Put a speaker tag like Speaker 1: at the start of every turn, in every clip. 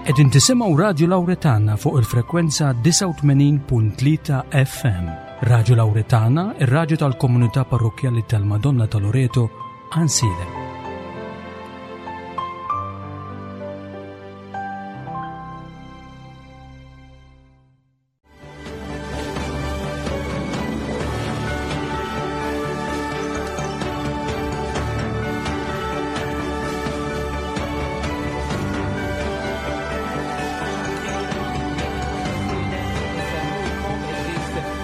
Speaker 1: Qegħdin tisimgħu Radju Lawretana fuq il-frekwenza 89.3 FM. Radju Lawretana, ir-radju tal-komunità parrokkjali tal-Madonna ta' Loreto, Għansielem.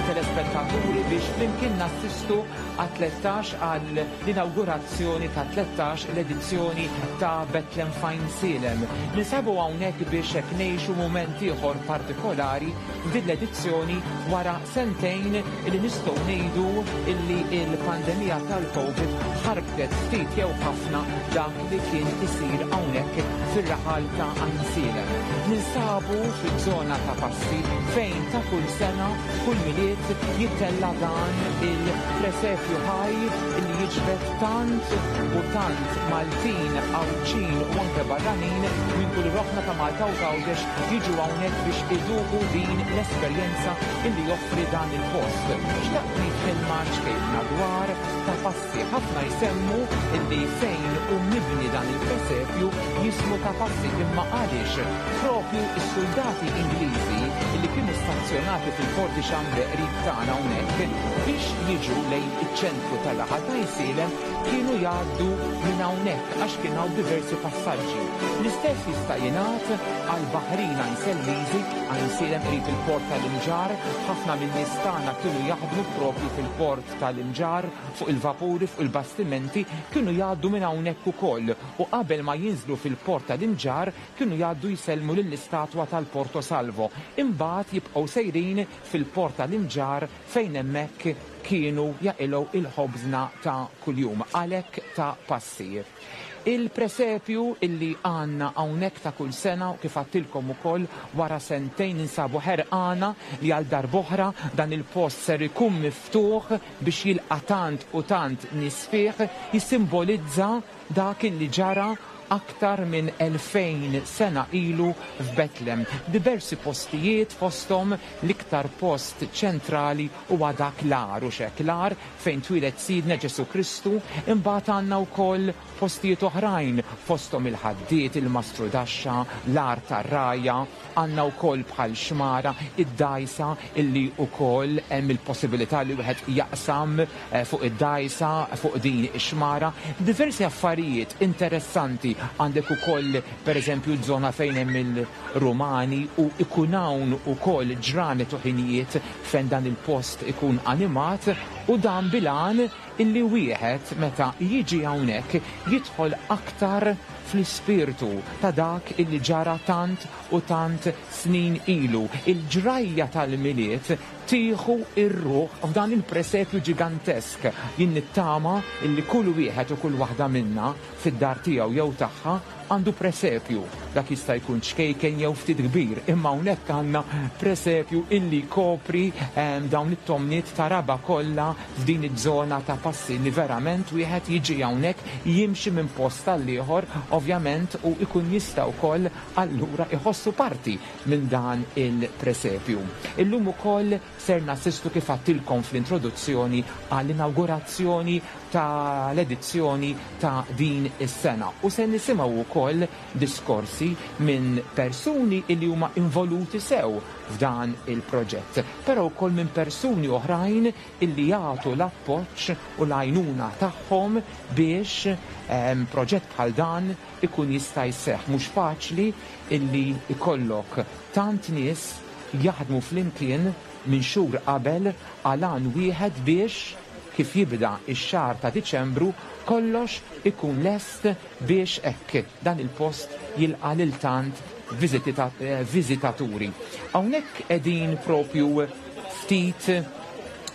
Speaker 2: Telespettaturi biex flimkien nassistu għat-13 għal l-inawgurazzjoni ta' 13 l-edizzjoni ta' Bethlehem f'Għajnsielem. Ninsabu hawnhekk biex hekk ngħixu mument ieħor partikolari f'din l-edizzjoni wara sentejn li nistgħu ngħidu illi l-pandemija tal-Covid ħarbtet ftit jew ħafna dak li kien isir hawnhekk fir-raħal ta' Għajnsielem. Ninsabu fiż-żona ta' Passi fejn ta' kull sena Kull Milied jittella' dan il-presepju ħaj li jiġbed tant u tant Maltin, Għawdxin u anke barranin minn kull rokna ta' Malta u Għawdex jiġu hawnhekk biex iduqu din l-esperjenza illi joffri dan il-post. Xtaqt ngħid kelma ċkejkna dwar Ta' Passi. Ħafna jsemmu illi fejn hu mibni dan il-presepju jismu Ta' Passi imma għaliex propju s-suldati Ingliżi li kienu stazzjonati fil-Forti Xambre qrib tagħna hawnhekk, biex jiġu lejn iċ-ċentru tar-raħal ta' Għajsielem kienu jgħaddu minn hawnhekk għax kien hawn diversi passaġġi. L-istess jista' jingħad għall-baħrin Għajnselmiżi, Għajnsielem qrib il-port tal-Imġarr, ħafna min-nies tagħna kienu jaħdmu propju fil-port tal-Imġarr, fuq il-vapuri, fuq il-bastimenti, kienu jgħaddu minn hawnhekk ukoll u qabel ma jinżlu fil-port tal-Imġarr kienu jgħaddu jsellmu lill-istatwa tal-Porto Salvo, imbagħad jibqgħu sejrin fil-port tal-Imġarr fejn hemmhekk kienu jaqilgħu il-ħobżna ta' kuljum, għalhekk ta' passi. Il-presepju illi għandna hawnhekk ta' kull sena u kif għadtilkom ukoll wara sentejn ninsabu ħerqana li għal darb'oħra dan il-post ser ikun miftuħ biex jilqa' tant u tant nies fih, jissimbolizza dak illi ġara aktar minn 2000 sena ilu f'Betlem. Diversi postijiet fosthom l-iktar post ċentrali huwa dak l-għar, hux hekk? L-għar fejn twieled Sidna Ġesù Kristu, imbagħad għandna wkoll postijiet oħrajn fosthom il-Ħaddied, il-Mastrudaxxa, l-Għar tar-Rgħajja, Għandna wkoll bħal xmara, id-dgħajsa illi wkoll hemm il-possibilità li wieħed jaqsam fuq id-dgħajsa fuq din ix-xmara. Diversi affarijiet interessanti. Għandek ukoll pereżempju ż-żona fejn hemm il-Rumani u jkun hawn ukoll ġranet u ħinijiet fejn dan il-post ikun animat u dan bil-għan illi wieħed meta jiġi hawnhekk jidħol aktar fl-ispirtu ta' dak illi ġara tant u tant snin ilu. Il-ġrajja tal-Milied tieħu r-ruħ f'dan il-presepju ġigantesk. Jien nittama illi kull wieħed u kull waħda minna fid-dar tiegħu jew tagħha għandu presepju. Dak jista' jkun ċkejken jew ftit kbir, imma hawnhekk għandna presepju illi jkopri dawn it-tomniet ta' raba' kollha f'din iż-żona ta' passi li verament wieħed jiġi hawnhekk jimxi minn post għall-ieħor ovvjament u jkun jista' wkoll allura jħossu parti minn dan il-presepju. Illum ukoll ser nassistu kif għadtilkom fl-introduzzjoni għall-inawgurazzjoni tal-edizzjoni ta' din is-sena u se nisimgħu wkoll diskorsi minn persuni li huma involuti sew f'dan il-proġett, però wkoll minn persuni oħrajn illi jagħtu l-appoġġ u l-għajnuna tagħhom biex proġett bħal dan ikun jista' jseħħ. Mhux faċli illi jkollok tant nies jaħdmu flimkien minn xhur qabel għal għan wieħed biex kif jibda x-xahar ta' Diċembru kollox ikun lest biex hekk dan il-post jilqa' lil tant viżitaturi. Hawnhekk qegħdin propju ftit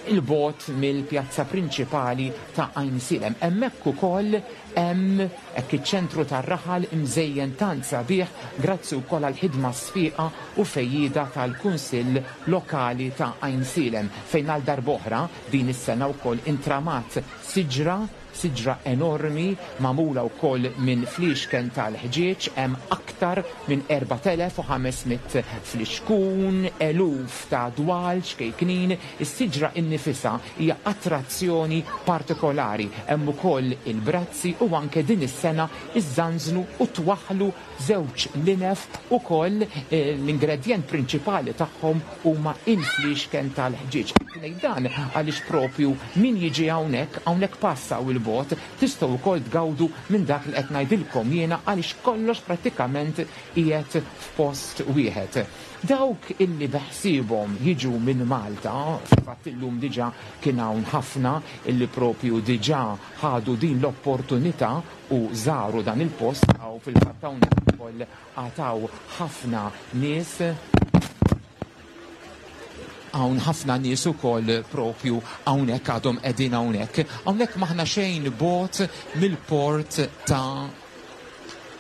Speaker 2: 'il bogħod mill-pjazza prinċipali ta' Għajnsielem. Hemmhekk ukoll hemm hekk iċ-ċentru tar-raħal imżejjen tant sabiħ grazzi wkoll għall-ħidma sfiqa u fejjieda tal-Kunsill Lokali ta' Għajnsielem fejn għal darb'oħra din is-sena wkoll intramat siġra. Siġra enormi magħmula wkoll minn fliexken tal-ħġieġ, hemm aktar minn 4,500 flixkun, eluf ta' dwal ċkejknin. Is-siġra innifisha hija attrazzjoni partikolari. Hemm ukoll il-brazzi u anke din is-sena iżżanżnu u twaħħlu Żewġ linef ukoll l-ingredjent prinċipali tagħhom huma il-fliexken tal-ħġieġ. Qed ngħid dan għaliex propju min jiġi hawnhekk, hawnhekk pass hawn 'il bogħod, tistgħu wkoll tgawdu minn dak li qed ngħidilkom jiena għaliex kollox prattikament qiegħed f'post wieħed. Dawk illi beħsiebhom jiġu minn Malta, fil-fatt illum diġà kien hawn ħafna illi propju diġà ħadu din l-opportunità u żaru dan il-post hawn fil-fatt hawnhekk ukoll għad hawn ħafna nies hawn ħafna nies ukoll propju hawnhekk għadhom qegħdin hawnhekk. Hawnhekk m'aħna xejn bogħod mill-port ta'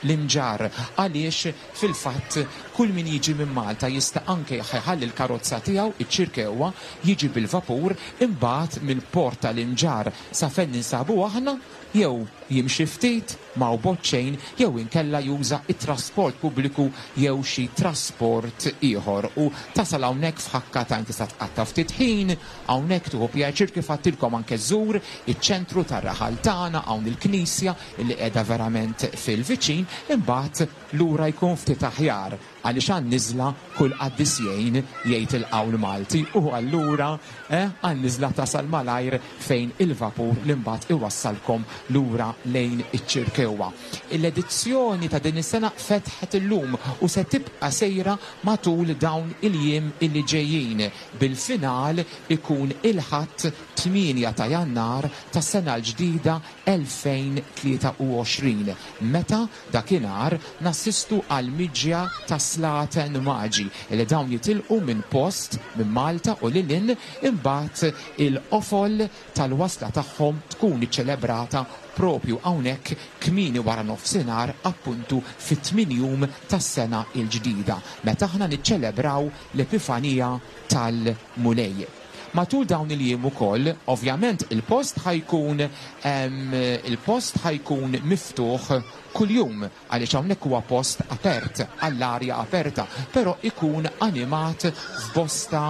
Speaker 2: l-Imġarr għaliex fil-fatt kull min jiġi minn Malta jista' anke jħalli l-karozza tiegħu iċ-Ċirkewwa jiġi bil-vapur imbagħad mill-port tal-Imġarr sa fejn ninsabu aħna jew jimxi ftit, ma hu bogħod xejn, jew inkella juża t-trasport pubbliku jew xi trasport ieħor u tasal hawnhekk f'ħakka t'għajn tista' tqatta' ftit ħin hawnhekk tieħu pjaċir kif għadtilkom anke żżur iċ-ċentru tar-raħal tagħna hawn il-knisja li qiegħda verament fil-viċin imbagħad lura jkun ftit aħjar. Għaliex għan-niżla kull qaddis jgħin, jgħid il-qawl Malti, u allura, eh, għan-niżla tasal malajr fejn il-vapur li mbagħad iwassalkom lura lejn iċ-Ċirkewwa. L-edizzjoni ta' din is-sena fetħet illum u se tibqa' sejra matul dawn il-jiem illi ġejjin, bil-final ikun il-Ħadd 8 ta' Jannar tas-sena l-ġdida 2023, meta dakinhar nassistu għall-miġja ta' Slaten Maġi li dawn jitilqu minn post minn Malta u lil hinn, imbagħad il-qofol tal-wasla tagħhom tkun iċċelebrata propju hawnhekk kmieni waranofsinhar appuntu fit-tmien jum tas-sena l-ġdida meta aħna niċċelebraw l-Epifanija tal-Mulej. Matul dawn il-jiem ukoll, ovvjament il-post ħa jkun il-post ħa jkun miftuħ kuljum għaliex hawnhekk huwa post apert, għall-arja aperta, però ikun animat f'bosta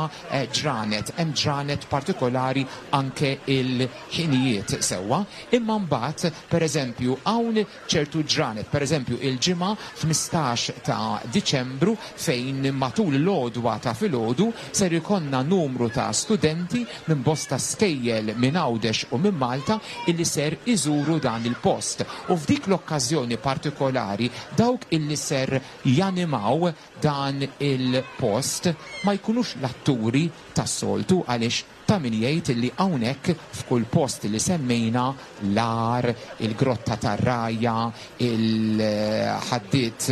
Speaker 2: ġranet, hemm ġranet partikolari anke il-ħinijiet sewwa. Imma mbagħad, pereżempju, hawn ċertu ġranet, pereżempju il-Ġimgħa 15 ta' Diċembru fejn matul l-għodwa ta' filgħodu ser ikollna numru ta' studenti minn bosta skejjel minn Għawdex u minn Malta illi ser iżuru dan il-post u f'dik l-okkażjoni partikolari dawk illi ser janimaw dan il-post ma jkunux l-atturi tas-soltu għaliex Ta' min jgħid li hawnhekk f'kull post li semmejna, l-għar, il-grotta tar-rgħajja, il-ħaddied,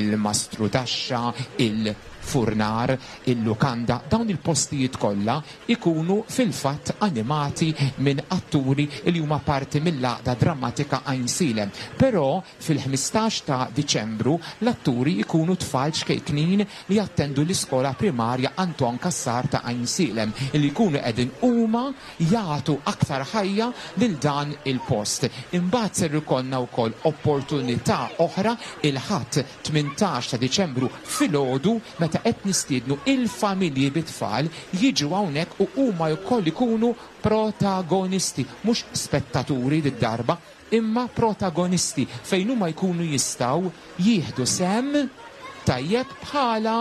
Speaker 2: il-mastrudaxxa, il-furnar, il-lukanda, dawn il-postijiet kollha jkunu fil-fatt animati minn atturi li huma parti mill-Għaqda Drammatika Għajnsielem. Però Fil-15 ta' Diċembru, l-atturi jkunu tfal ċkejknin li jattendu l-iskola primarja Anton Cassar ta' Għajnsielem li jkunu qegħdin huma jagħtu aktar ħajja lil dan il-post. Imbagħad ser ikollna wkoll opportunità oħra il-Ħadd 18 ta' Diċembru filgħodu meta qed nistiednu il-familji bit-tfal jiġu hawnhekk u huma wkoll ikunu protagonisti, mhux spettaturi did-darba, imma protagonisti fejn huma jkunu jistgħu jieħdu sehem tajjeb bħala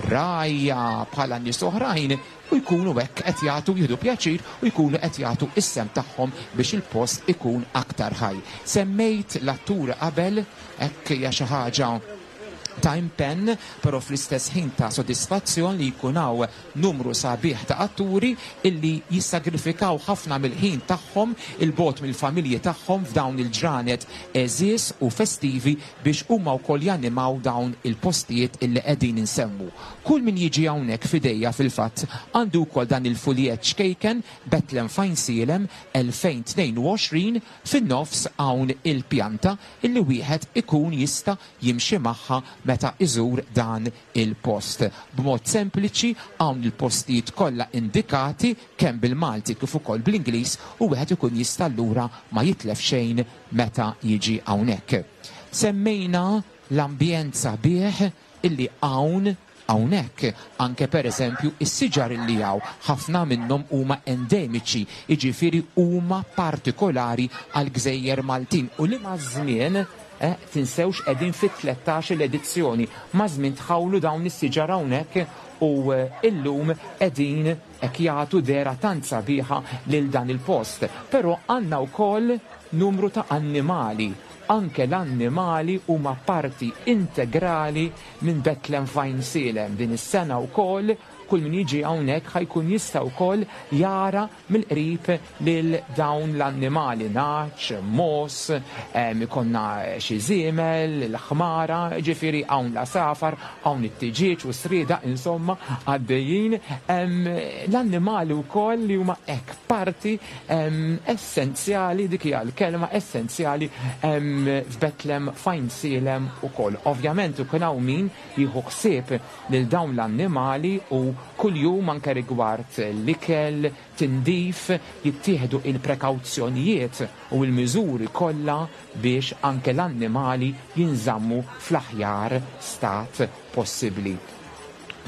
Speaker 2: rgħajja, bħala nies oħrajn u jkunu hekk qed jagħtu jieħdu pjaċir u jkunu qed jagħtu s-sehem tagħhom biex il-post ikun aktar ħaj. Semmejt l-atturi qabel, hekk hija xi ħaġa ta' impenn, però fl-istess ħin ta' sodisfazzjon li jkun hawn numru sabiħ ta' atturi illi jissagrifikaw ħafna mill-ħin tagħhom 'il bogħod mill-familji tagħhom f'dawn il-ġranet għeżież u festivi biex huma wkoll janimaw dawn il-postijiet illi qegħdin insemmu. Kull min jiġi hawnhekk f'idejja fil-fatt għandu wkoll dan il-fuljett ċkejken Bethlehem F'Għajnsielem 2022 fin-nofs hawn il-pjanta illi wieħed ikun jista' jimxi magħha meta iżur dan il-post. B'mod sempliċi hawn il-postijiet kollha indikati kemm bil-Malti kif ukoll bl-Ingliż u wieħed ikun jista' allura ma jitlef xejn meta jiġi hawnhekk. Semmejna l-ambjent sabiħ illi hawn hawnhekk, anke pereżempju s-siġar illi hawn, ħafna minnhom huma endemiċi, jiġifieri huma partikolari għall-gżejjer Maltin u li maż-żmien, eh, tinsewx qegħdin fit-tlettax-il edizzjoni, maż-żmien tħawlu dawn is-siġar hawnhekk u illum qegħdin hekk jagħtu dehra tant sabiħa lil dan il-post. Però għandna wkoll numru ta' annimali. Anke l-annimali huma parti integrali minn Bethlehem f'Għajnsielem. Din is-sena wkoll kull min jiġi hawnhekk ħa jkun jista' wkoll jara mill-qrib lil dawn l-annimali, nagħaġ, mogħoż, ikollna xi żiemel, l-ħmara, jiġifieri hawn l-għasafar, hawn it-tiġieġ u s-sriedaq insomma għaddejjin. L-annimali wkoll li huma hekk parti essenzjali, dik hija l-kelma, essenzjali f'Bethlehem f'Għajnsielem ukoll. Ovvjament ikun hawn min jieħu ħsieb lil dawn l-annimali u kuljum anke rigward l-ikel, tindif, jittieħdu il-prekawzjonijiet u l-miżuri kollha biex anke l-annimali jinżammu fl-aħjar stat possibbli.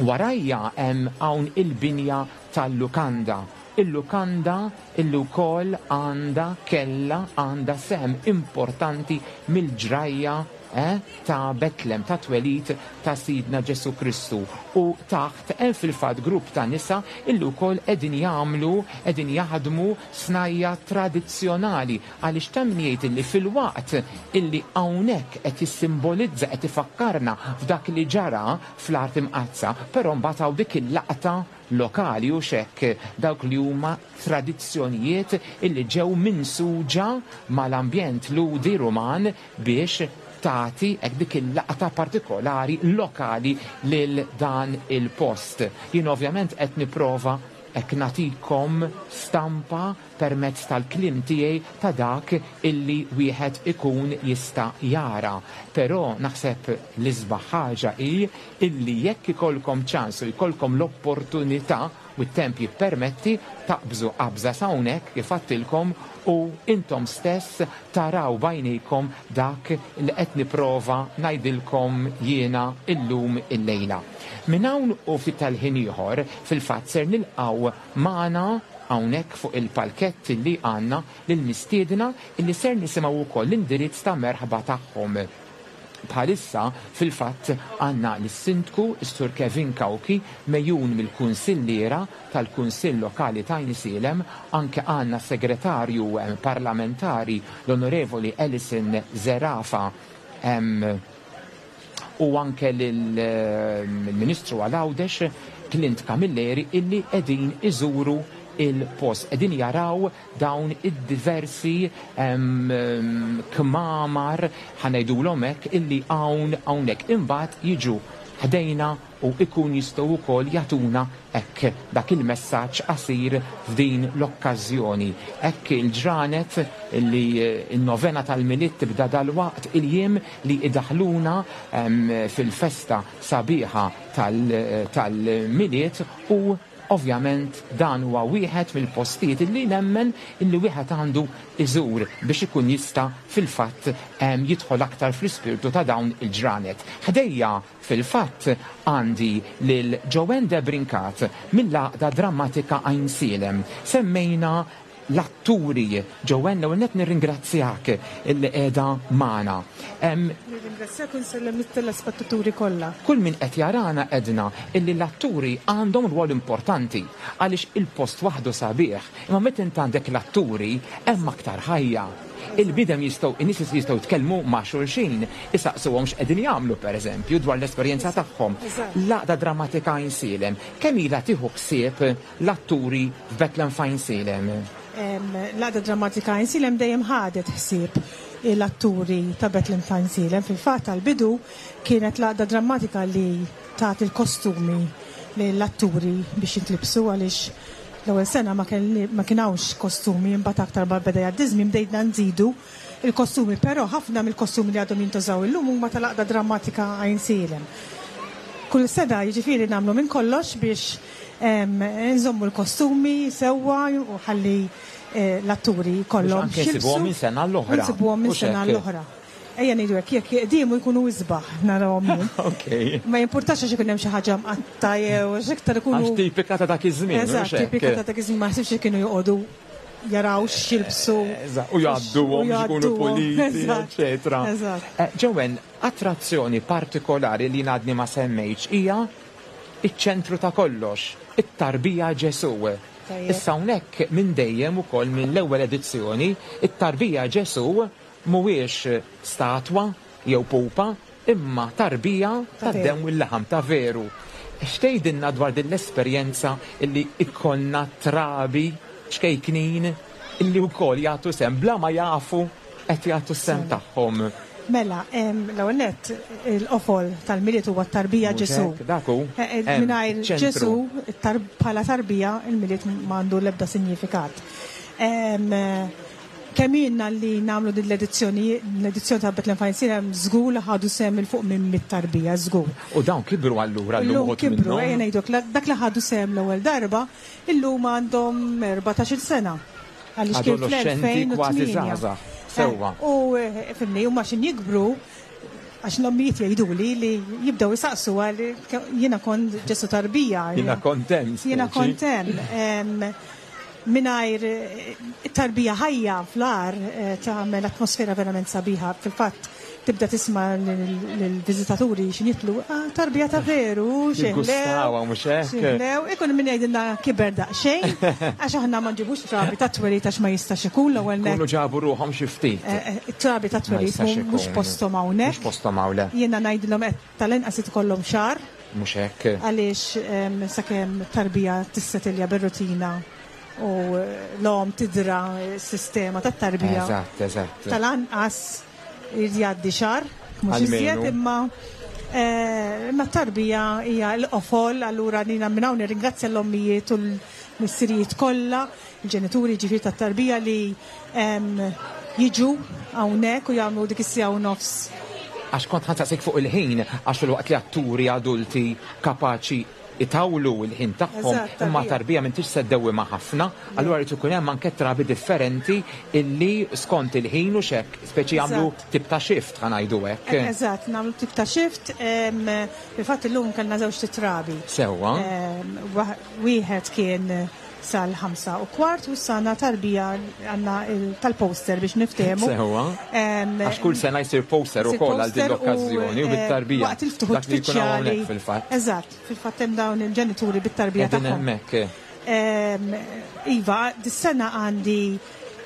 Speaker 2: Warajja hemm hawn il-binja tal-lukanda. Il-lukanda illi wkoll għandha, kellha, għandha sehem importanti mill-ġrajja eh, ta' Betlem, tat-twelid ta' Sidna Ġesù Kristu. U taħt hemm fil-fatt grupp ta' nisa illi wkoll qegħdin jagħmlu, qegħdin jaħdmu snajja' tradizzjonali għaliex ta' min jgħid illi filwaqt illi hawnhekk qed jissimbolizza, qed ifakkarna f'dak li ġara fl-Art Imqaddsa, però mbagħad hawn dik il-laqta lokali hux hekk, dawk li huma tradizzjonijiet illi ġew minsuġa mal-ambjent Lhudi Ruman biex tagħti hekk dik il-laqta partikolari lokali lil dan il-post. Jien ovvjament qed nipprova hekk nagħtikom stampa permezz tal-kliem tiegħi ta' dak illi wieħed ikun jista' jara. Però naħseb l-isbaħ ħaġa hi illi jekk ikollkom ċans u jkollkom l-opportunità u t-temp jippermetti, taqbżu qabża s'hawnhekk kif għadtilkom u intom stess taraw b'għajnejkom dak li qed nipprova ngħidilkom jiena llum illejla. Minn hawn u ftit tal-ħin ieħor, fil-fatt ser nilqgħu magħna hawnhekk fuq il-palkett li għandna lill-mistiedna illi ser nisimgħu wkoll l-indirizz ta' merħba tagħhom. Bħalissa, fil-fatt, għandna lis-Sindku, is-Sur Kevin Cauchi, megħjun mill-Kunsilliera tal-Kunsill Lokali t'Għajnsielem, anke għandna s-Segretarju Parlamentari, l-Onorevoli Alison Zerafa, u anke lill-Ministru għal Għawdex, Clint Camilleri, illi qegħdin iżuru l-post, qegħdin jaraw dawn id-diversi kmamar, ħa ngħidulhom hekk, illi hawn hawnhekk. Imbagħad jiġu ħdejna u jkun jistgħu wkoll jagħtuna hekk dak il-messaġġ qasir f'din l-okkażjoni. Hekk il-ġranet li n-novena tal-Milied tibda dalwaqt, il-jiem li jdaħħluna fil-festa sabiħa tal-Milied u Ovvjament dan huwa wieħed mill-postijiet illi nemmen illi wieħed għandu jżur biex ikun jista' fil-fatt jidħol aktar fl-ispirtu ta' dawn il-ġranet. Ħdejja fil-fatt għandi lil Joanne Debrincat mill-Għaqda Drammatika Għajnsielem. Semmejna l-atturi. Joanne, l-ewwel nett nirringrazzjak illi qiegħda magħna.
Speaker 3: Nirringrazzjak u nsellem lit-telespettaturi kollha.
Speaker 2: Kull min qed jarana għedna illi l-atturi għandhom rwol importanti għaliex il-post waħdu sabiħ, imma meta int għandek l-atturi hemm aktar ħajja. Il-bniedem jistgħu, in-nies jistgħu jitkellmu ma' xulxin, isaqsuhom x'qegħdin jagħmlu pereżempju dwar l-esperjenza tagħhom. L-Għaqda Drammatika Għajnsielem kemm ilha tieħu ħsieb l-atturi f'Bethlehem f'Għajnsielem?
Speaker 3: L-Għaqda Drammatika Għajnsielem dejjem ħadet ħsieb l-atturi ta' Bethlehem f'Għajnsielem. Fil-fatt għall-bidu kienet l-Għaqda Drammatika li tat il-kostumi lill-atturi biex jintlibsu għaliex l-ewwel sena ma kien hawnx kostumi imbagħad aktar ma beda jgħaddi ż-żmien bdejna nżidu. il-kostumi, però ħafna mill-kostumi li għadhom jintużaw illum huma tal-Għaqda Drammatika Għajnsielem. Kull sena jiġifieri nagħmlu minn kollox biex nżommu l-kostumi sewwa u ħalli l-atturi jkollhom
Speaker 2: Biex anke nsibuhom minn sena għall-oħra.
Speaker 3: Nsibuhom minn sena għall-oħra. Ejja ngħidu hekk, jekk jiqdiemu jkunu isbaħ narahom jien.
Speaker 2: Okej.
Speaker 3: Ma jimpurtax għax ikun hemm xi ħaġa mqatta' jew għax iktar ikunu.
Speaker 2: Għax tipika ta' dak iż-żmien.
Speaker 3: Eżatt, tipika ta' dak iż-żmien ma naħsibx li kienu joqogħdu jaraw x'jilbsu.
Speaker 2: Eżatt, u jgħadduhom biex ikunu puliti, eċċetera.
Speaker 3: Eżatt.
Speaker 2: Joanne, attrazzjoni partikolari li jien għadni ma semmejtx hija iċ-ċentru ta' kollox, it-tarbija Ġesù. Issa hawnhekk minn dejjem ukoll mill-ewwel edizzjoni, it-tarbija Ġesù Mhuwiex statwa jew pupa, imma tarbija tad-demm u l-laħam ta' veru. X'tgħidilna dwar din l-esperjenza li jkollna trabi ċkejknin li wkoll jagħtu sehem bla ma jafu qed jagħtu s-sehem tagħhom?
Speaker 3: Mela, l-ewwel nett, il-qofol tal-Milied huwa t-tarbija Ġesù.
Speaker 2: Mhux hekk? Dak hu. Hemm,
Speaker 3: Mingħajr
Speaker 2: iċ-ċentru.
Speaker 3: Ġesù, bħala tarbija, il-Milied m'għandu l-ebda sinjifikat. Kemm ilna li nagħmlu din l-edizzjoni, l-edizzjoni ta' Bethlehem Fine hemm żgur li ħadu sehem 'il fuq minn 100 tarbija, żgur.
Speaker 2: U dawn kibru allura llum
Speaker 3: Illum
Speaker 2: uħud
Speaker 3: kibru,
Speaker 2: minnhom?
Speaker 3: ejja ngħidu hekk, dak li ħadu sehem l-ewwel darba, illum għandhom 14-il sena. Għaliex kien
Speaker 2: Adoloxxenti kważi
Speaker 3: fl-2008.
Speaker 2: żgħażagħ, sewwa.
Speaker 3: U fimni, huma x'in jikbru, għax l-ommijiet jgħiduli li jibdew isaqsu għal jiena kont Ġesù tarbija.
Speaker 2: Jiena kont hemm, speċi.
Speaker 3: Jiena kont hemm. Mingħajr it-tarbija ħajja fl-għar tagħmel atmosfera verament sabiħa. Fil-fatt tibda tisma' lill-viżitaturi x'in jitlu, ah, tarbija ta' veru, xi ħlew.
Speaker 2: Jiggustawha mhux hekk?
Speaker 3: Xi ħlew. Ikun min jgħidilna kiber daqsxejn, għax aħna ma nġibux trabi tat-twelid għax ma jistax ikun l-ewwel nett.
Speaker 2: Ikunu ġabu ruħhom xi ftit.
Speaker 3: It-trabi tat-twelid mhux posthom hawnhekk.
Speaker 2: Mhux posthom hawn, le.
Speaker 3: Jiena ngħidilhom qed tal-inqas irid ikollhom xahar.
Speaker 2: Mhux hekk?
Speaker 3: Għaliex sakemm tarbija tissetilja bir-rutina u l-omm tidra s-sistema tat-tarbija.
Speaker 2: Eżatt, eżatt.
Speaker 3: Tal-anqas irid jgħaddi xahar, mhux iżjed, imma imma t-tarbija hija l-qofol, allura jiena minn hawn nirringrazzja l-ommijiet u l-missirijiet kollha, il-ġenituri jiġifieri tat-tarbija li jiġu hawnhekk u jagħmlu dik is-siegħa u nofs.
Speaker 2: Għax kont ħa nsaqsik fuq il-ħin, għax filwaqt li atturi adulti kapaċi itawlu l-ħin tagħhom, imma tarbija m'intix se ddewwimha ħafna, allura jrid ikun hemm anke trabi differenti illi skont il-ħin u x'hekk, speċi jagħmlu tip ta' shift ħa ngħidu hekk.
Speaker 3: Eżatt, nagħmlu tip ta' shift, fil-fatt illum kellna żewġt itrabi.
Speaker 2: Sewwa.
Speaker 3: Wieħed kien sal-5:15 u issa għandna tarbija għandna tal-poster biex niftehmu.
Speaker 2: Sewwa. Għax kull sena jsir poster ukoll għal din l-okkażjoni u bit-tarbija.
Speaker 3: Waqt il-ftuħ uffiċjali.
Speaker 2: Fil-fatt.
Speaker 3: Eżatt, fil-fatt hemm dawn il-ġenituri bit-tarbija
Speaker 2: tagħhom.
Speaker 3: hemmhekk. Iva, dis-sena għandi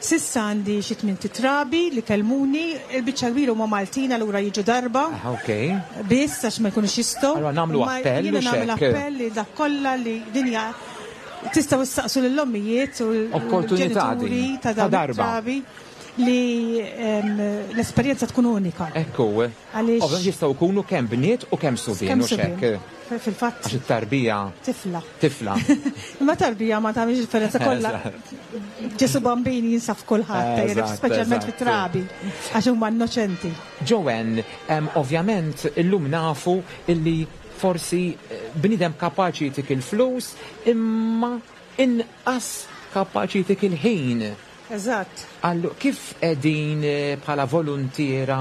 Speaker 3: S'issa għandi xi tmint itrabi li kellmuni, il-biċċa l-kbira huma Maltin allura jiġu darba.
Speaker 2: Ah, ok.
Speaker 3: Biss għax ma jkunux jistgħu.
Speaker 2: Allura nagħmlu appell.
Speaker 3: Jiena nagħmel appell li dak kollha li din hija tistgħu issaqsu lill-ommijiet u
Speaker 2: l-ġenituri
Speaker 3: ta' dawn it-trabi li l-esperjenza tkun unika.
Speaker 2: Ekku.
Speaker 3: Għaliex.
Speaker 2: Ovvjament jistgħu jkunu kemm bniet u kemm subien
Speaker 3: Kemm
Speaker 2: hux
Speaker 3: subien.
Speaker 2: hekk?
Speaker 3: Fil-fatt.
Speaker 2: Għax it-tarbija.
Speaker 3: Tifla.
Speaker 2: Tifla.
Speaker 3: Imma tarbija ma tagħmilx differenza kollha. Ġesu Bambin jinsab f'kulħadd, speċjalment fit-trabi, għax huma innoċenti.
Speaker 2: Joanne, ovvjament illum nafu illi forsi bniedem kapaċi jtik il-flus imma inqas kapaċi jtik il-ħin.
Speaker 3: Eżatt.
Speaker 2: Allu, kif qegħdin bħala voluntiera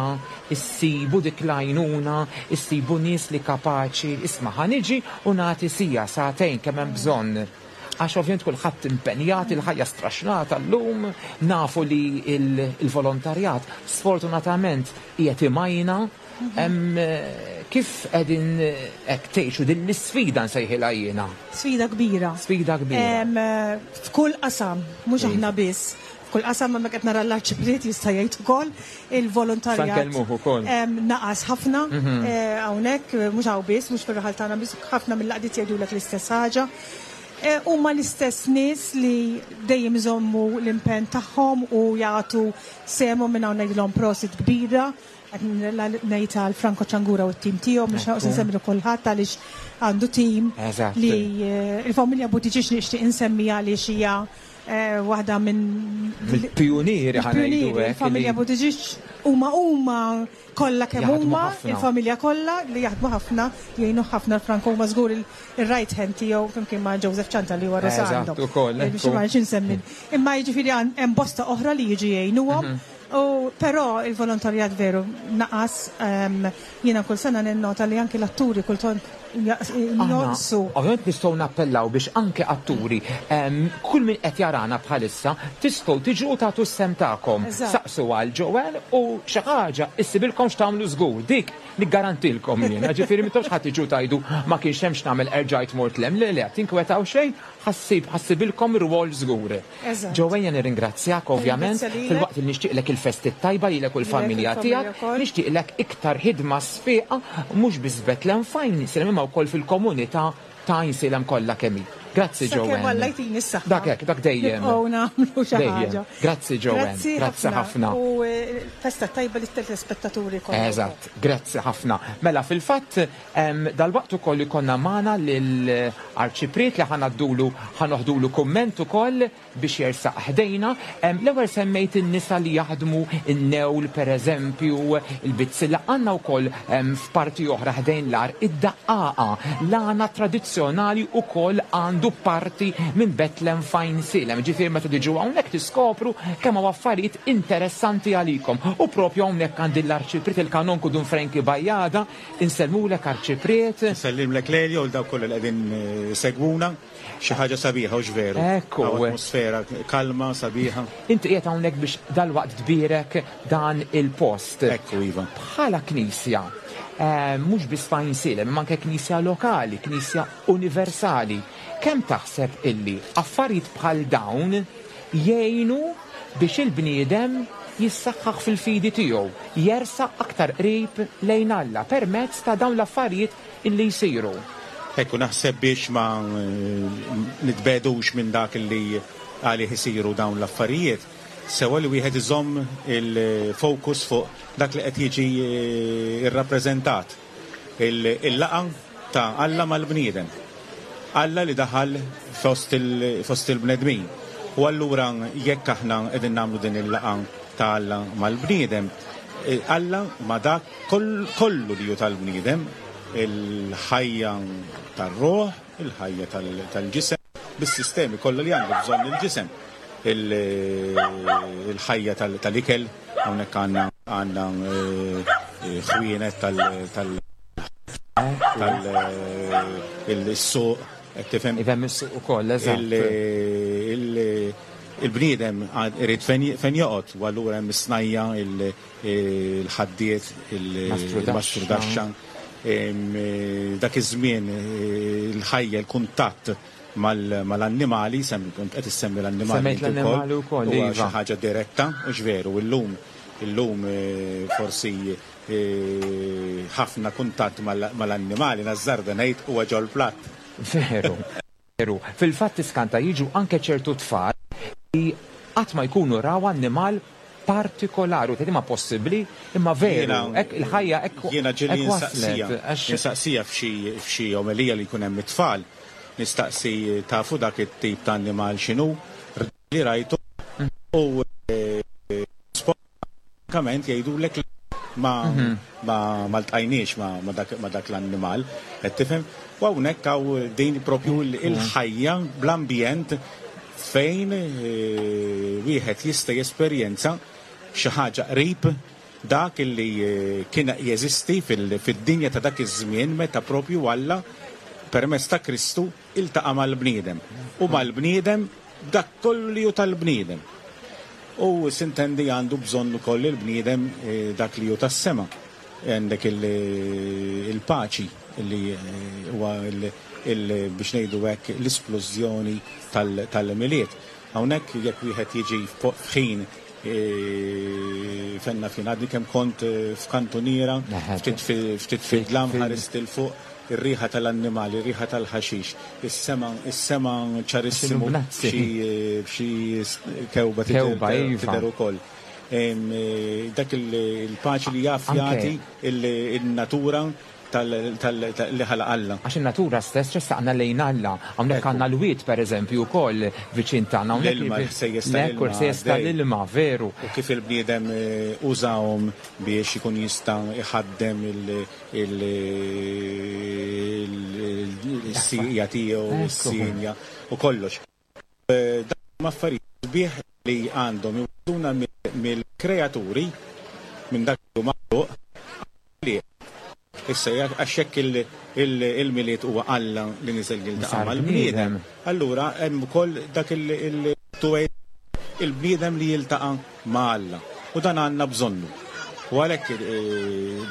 Speaker 2: issibu dik l-għajnuna, issibu nies li kapaċi, isma' ħa niġi u nagħti siegħa, sagħtejn kemm hemm bżonn. Għax ovvjament kulħadd impenjat, il-ħajja straxnata llum, nafu li l-volontarjat sfortunatament qiegħed imajna. Kif qegħdin hekk tgħixu din l-isfida nsejħilha jiena?
Speaker 3: Sfida kbira.
Speaker 2: Sfida kbira.
Speaker 3: F'kull qasam, mhux aħna biss. F'kull qasam hemmhekk qed nara l-Arċipriet jista' jgħid ukoll, il-volontarjat.
Speaker 2: Sa nkellmuh ukoll.
Speaker 3: Naqas ħafna hawnhekk, mhux hawn biss, mhux fir-raħal tagħna biss, ħafna mill-għaqdiet jgħidulek l-istess ħaġa. Huma l-istess nies li dejjem iżommu l-impenn tagħhom u jagħtu sehemhom minn hawn ngħidilhom prosit kbira. Qed ngħid għal Franco Ciangura u t-tim tiegħu, mhux noqgħod insemmi lil kulħadd għaliex għandu tim li l-familja Buttigieg nixtieq insemmi għaliex hija Waħda minn
Speaker 2: Mill-pijunieri ħa ngħidu hekk.
Speaker 3: Il-familja Buttigieg huma huma kollha kemm huma, il-familja kollha li jaħdmu ħafna, jgħinu ħafna l-Franco huma żgur il-right hand tiegħu flimkien ma' Joseph Cianta li huwa Rosando.
Speaker 2: Eżatt ukoll.
Speaker 3: Biex ma rridx insemmi. Imma jiġifieri hemm bosta oħra li jiġu jgħinuhom. U però il-volontarjat veru naqas. Jiena kull sena ninnota li anki l-atturi kultant jonqsu.
Speaker 2: Ovvjament nistgħu nappellaw biex anke atturi, kull min qed jarana bħalissa, tistgħu tiġu u tagħtu s-sehem tagħkom. Saqsu għal Joanne u xi ħaġa issibilkom x'tagħmlu żgur. Dik niggarantilkom jiena. Ġifieri m'intomx ħa tiġu tgħidu ma kienx hemm x'nagħmel erġajt mort 'l hemm. Le le, tinkwetaw xejn, ħa ssib ħa ssibilkom rwol żgur. Joanne jien nirringrazzjak ovvjament, filwaqt li nixtieqlek il-festi t-tajba lilek u l-familja tiegħek, nixtieqlek iktar ħidma sfiqa mhux biss f'Bethlehem f'Għajnsielem imma wkoll fil-komunità ta' Għajnsielem kollha kemm hi. Grazzi Joanne.
Speaker 3: Sakemm Alla jtini s-saħħa.
Speaker 2: Dak hekk, dak dejjem.
Speaker 3: Nibqgħu nagħmlu xi ħaġa.
Speaker 2: Grazzi Joanne. Grazzi ħafna.
Speaker 3: U festa tajba lit-telespettaturi kollha.
Speaker 2: Eżatt, grazzi ħafna. Mela fil-fatt Dalwaqt ukoll ikollna magħna lill-Arċipriet li ħa ngħaddulu, ħa noħdulu kumment ukoll biex jersaq ħdejna. L-ewwel semmejt in-nisa li jaħdmu n-newl pereżempju, il-bizzilla. Għandna wkoll f'parti oħra ħdejn l-għar id-daqqaqa. L-għana tradizzjonali wkoll għandu parti minn Betlem f'Għajnsielem. Ġifieri meta tiġu hawnhekk tiskopru kemm hawn affarijiet interessanti għalikom. U propju hawnhekk għandi l-Arċipriet il-Kanonku Dun Frankie Bajada Insellmulek Arċipriet.
Speaker 4: Insellimlek Lelio u 'l dawk kollha li qegħdin isegwuna. Xi ħaġa sabiħa hux veru?
Speaker 2: Ekku.
Speaker 4: Hawn atmosfera kalma, sabiħa.
Speaker 2: Inti qiegħed hawnhekk biex dalwaqt tbierek dan il-post.
Speaker 4: Ekku, iva.
Speaker 2: Bħala Knisja, mhux biss f'Għajnsielem imma anke Knisja lokali, Knisja universali, kemm taħseb illi affarijiet bħal dawn jgħinu biex il-bniedem jissaħħaħ fil-fidi tiegħu, jersaq aktar qrib lejn Alla permezz ta' dawn l-affarijiet illi jsiru.
Speaker 4: Hekk hu, naħseb biex ma nitbegħdux minn dak li għalih isiru dawn l-affarijiet, sewwa li wieħed iżomm il-focus fuq dak li qed jiġi rrappreżentat. Il-laqgħa ta' Alla mal-bniedem. Alla li daħal fost il-bnedmin. U allura jekk aħna qegħdin nagħmlu din il-laqgħa ta' Alla mal-bniedem, Alla ma' dak kollu li hu tal-bniedem, il-ħajja tar-ruħ, il-ħajja tal-ġisem, bis-sistemi kollha li għandu bżonn il-ġisem, il-ħajja tal-ikel, hawnhekk għandna għandna ħwienet tal tal-suq, qed tifhem?
Speaker 2: Ifhem is-suq ukoll, eżatt.
Speaker 4: Il-bniedem irid fejn joqgħod u allura hemm is-snajja', il-ħaddied, il-mastrudaxxa. Dak iż-żmien il-ħajja, il-kuntatt mal-annimali, kont qed issemmi l-annimali.
Speaker 2: Semmejt l-annimali wkoll,
Speaker 4: iva. Huwa xi ħaġa diretta, hux veru, illum illum forsi ħafna kuntatt mal-annimali, nażżarda ngħid, huwa ġol-platt.
Speaker 2: Veru. Veru. Fil-fatt tiskanta jiġu anke ċertu tfal li qatt ma jkunu raw annimal partikolari u tgħid imma possibbli? Imma veru, hekk il-ħajja hekk
Speaker 4: Jiena ġieli
Speaker 2: waslet.
Speaker 4: Insaqsija f'xi omelija li jkun hemm it-tfal, nistaqsi tafu dak it-tip ta' annimal x'inhu? Li rajtu u Frankament jgħidulek li ma ma ma ltqajniex ma ma dak ma dak l-annimal, qed tifhem? U hawnhekk hawn din propju l-ħajja bl-ambjent fejn wieħed jista' jesperjenza xi ħaġa qrib dak li kien jeżisti fid-dinja ta' dak iż-żmien meta propju Alla permezz ta' Kristu Iltaqa' mal-bniedem, u mal-bniedem b'dak kollu li hu tal-bniedem. U sintendi għandu bżonn ukoll il-bniedem dak li hu tas-sema. Għandek il-paċi li huwa biex ngħidu hekk l-isplużjoni tal-Milied. Hawnhekk jekk wieħed jiġi f'ħin fejn naf jien għadni kemm kont f'kantuniera, ftit fid-dlam ħarist 'il fuq, ir-riħa tal-annimali, ir-riħa tal-ħaxix, is-sema, is-sema ċarissimu b'xi kewba tidher ukoll. Dak il-paċi li jaf jagħti n-natura. li ħalaq Alla.
Speaker 2: Għax in-natura stess tressaqna lejn Alla. Hawnhekk għandna l-wied pereżempju wkoll viċin tagħna.
Speaker 4: L-ilma, l-ħsejjes tal-ilma.
Speaker 2: Ekku, l-ħsejjes tal-ilma, veru.
Speaker 4: U kif il-bniedem użahom biex ikun jista' jħaddem il-sieqja tiegħu, is-sienja u kollox. Dawn huma affarijiet sbieħ li għandhom iwasluna mill-kreaturi, minn dak li hu maħluq, għall-Ħallieq. Issa, għax jekk il-Milied huwa Alla li niżel jiltaqa' mal-bniedem, allura hemm ukoll dak il-twegħid il-bniedem li jiltaqa' ma' Alla. U dan għandna bżonnu. U għalhekk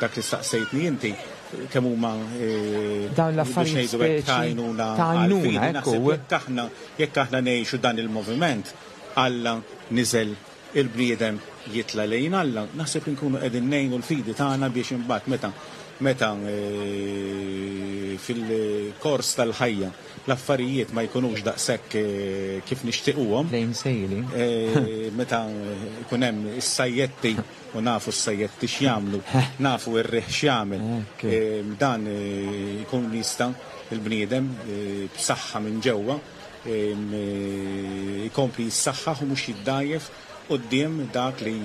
Speaker 4: dak li staqsejtni inti, kemm huma
Speaker 2: dawn l-affarijiet
Speaker 4: speċi ta' għajnuna għall-fidi, naħseb jekk aħna jekk aħna ngħixu dan il-moviment, Alla niżel il-bniedem jitla' lejn Alla, naħseb li nkunu qegħdin ngħinu l-fidi tagħna biex imbagħad meta meta fil-kors tal-ħajja l-affarijiet ma jkunux daqshekk kif nixtiequhom.
Speaker 2: Plain sailing.
Speaker 4: Meta jkun hemm is-sajjetti u nafu s-sajjetti x'jagħmlu, nafu r-riħ x'jagħmel, dan ikun jista' l-bniedem b'saħħa minn ġewwa jkompli jissaħħaħ u mhux jiddgħajjef quddiem dak li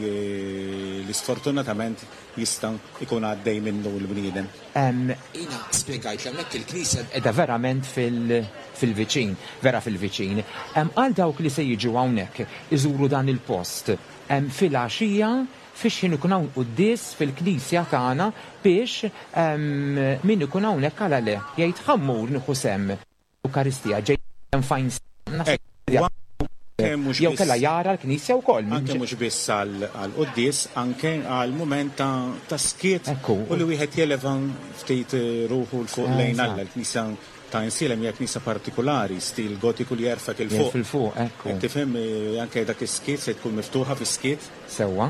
Speaker 4: sfortunatament jista' jkun għaddej minnu l-bniedem.
Speaker 2: Jiena spjegajt li hawnhekk il-knisja qiegħda verament fil-viċin, vera fil-viċin. Għal dawk li se jiġu hawnhekk iżuru dan il-post filgħaxija fix ħin ikun hawn quddies fil-knisja tagħna biex min ikun hawnhekk għala le jgħid ħa mmur nieħu sehem. Ewkaristija ġej fejn jew kellha jara l-Knisja wkoll.
Speaker 4: Anke mhux biss għall-quddies, anke għal mument ta' skiet u li wieħed jeleva ftit ruħu 'l fuq lejn Alla. Il-Knisja ta' Għajnsielem hija knisja partikulari, stil gotiku li jerfgħek 'il fuq.
Speaker 2: 'Il fuq, ekku.
Speaker 4: Qed tifhem, anke dak is-skiet se tkun miftuħa fis-skiet.
Speaker 2: Sewwa.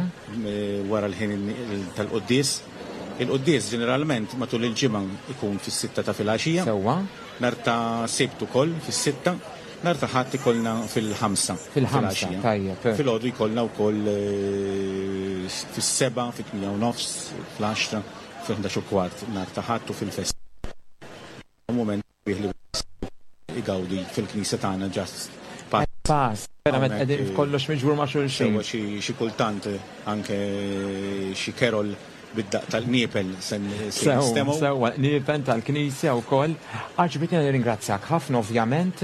Speaker 4: Wara l-ħin tal-quddies. Il-quddies ġeneralment matul il-ġimgħa jkun fis-sitta ta' filgħaxija.
Speaker 2: Sewwa.
Speaker 4: Nhar ta' Sibt ukoll fis-sitta. Nhar ta' Ħadd ikollna fil-ħamsa.
Speaker 2: Fil-ħamsa, tajjeb.
Speaker 4: Filgħodu jkollna wkoll fis-sebgħa, fit-tmienja u nofs, fl-għaxra, fil-ħdax u kwart nhar ta' Ħadd u fil-festi. Mument sabiħ li wieħed igawdi fil-knisja tagħna just
Speaker 2: pass. Pass, verament qegħdin f'kollox miġbur ma' xulxin.
Speaker 4: Sewwa xi kultant anke xi carol bid-daqq tal-qniepel se nistemgħu.
Speaker 2: Sewwa, sewwa, l-qniepen tal-knisja wkoll. Arċipriet jiena nirringrazzjak ħafna ovvjament,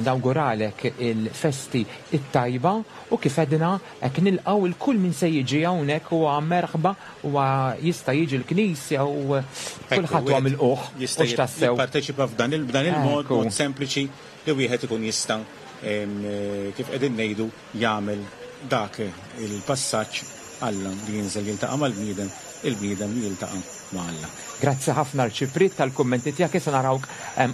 Speaker 2: nawguralek il-festi t-tajba u kif għedna hekk nilqgħu 'l kull min se jiġi hawnhekk huwa merħba huwa jista' jiġi l-knisja u kulħadd huwa milqugħ.
Speaker 4: Jista' jipparteċipa f'dan il-mod, mod sempliċi li wieħed ikun jista' kif qegħdin ngħidu jagħmel dak il-passaġġ Alla li jinżel jiltaqa' mal-bniedem, il-bniedem li jiltaqa' ma' Alla.
Speaker 2: Grazzi ħafna Arċipriet tal-kummenti tiegħek, issa narawk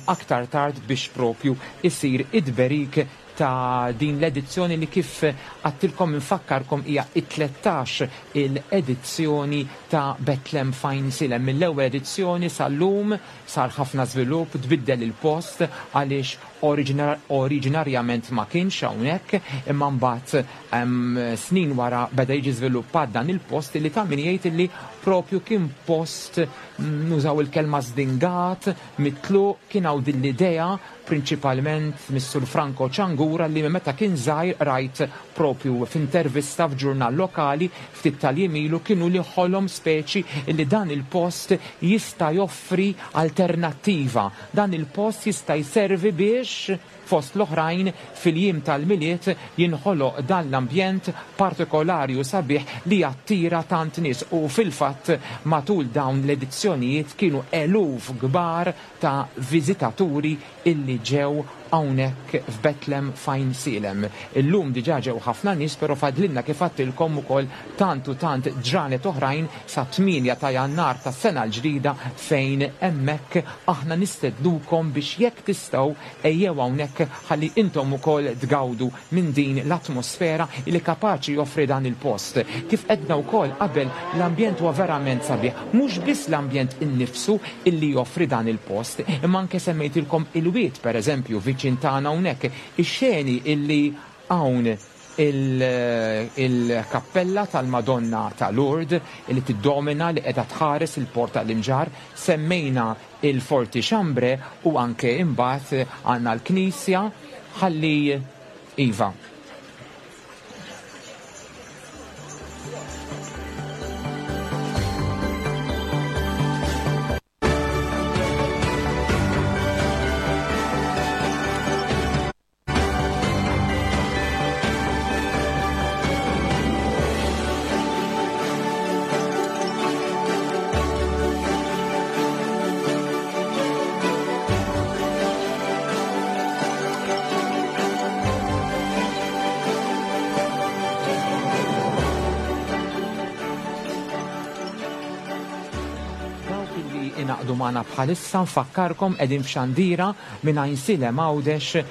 Speaker 2: aktar tard biex propju isir it-tberik ta' din l-edizzjoni li kif għadtilkom infakkarkom hija it-13 il-edizzjoni ta' Betlem f'Għajnsielem. Mill-ewwel edizzjoni sal-lum sar ħafna żvilupp, tbiddel il-post għaliex Oriġinarjament ma kienx hawnhekk, imma mbagħad snin wara beda jiġi żviluppat dan il-post illi ta' min jgħid illi propju kien post, nużaw il-kelma żdingat, mitluq, kien hawn din l-idea prinċipalment mis-Sur Franco Ciangura li minn meta kien żgħir qrajt propju f'intervista f'ġurnal lokali ftit tal-jiem ilu kien hu li ħolom speċi illi dan il-post jista' joffri alternattiva Dan il-post jista' jservi biex, fost l-oħrajn, fil-jiem tal-Milied jinħoloq dan l-ambjent partikolari u sabiħ li jattira tant nies u fil-fatt matul dawn l-edizzjonijiet kienu eluf kbar ta' viżitaturi illi ġew hawnhekk f'Betlem f'Għajnsielem. Illum diġà ġew ħafna nies però fadlilna kif għadtilkom ukoll tant u tant ġranet oħrajn sat-tmienja ta' Jannar tas-sena l-ġdida fejn hemmhekk aħna nistednukom biex jekk tistgħu ejjew hawnhekk ħalli intom ukoll tgawdu minn din l-atmosfera li kapaċi joffri dan il-post. Kif għedna wkoll qabel l-ambjent huwa verament sabiħ, mhux biss l-ambjent innifsu illi joffri dan il-post, imma anke semmejtilkom il-wied pereżempju viċin tagħna hawnhekk, ix-xeni illi hawn. Il-kappella tal-Madonna ta' Lourdes li tiddomina li qiegħda tħares il-port tal-Imġarr, semmejna il-Forti Chambre u anke imbagħad għandna l-knisja ħalli iva. Dawk li ingħaqdu magħna bħalissa nfakkarkom qegħdin f'xandira minn Għajnsielem Għawdex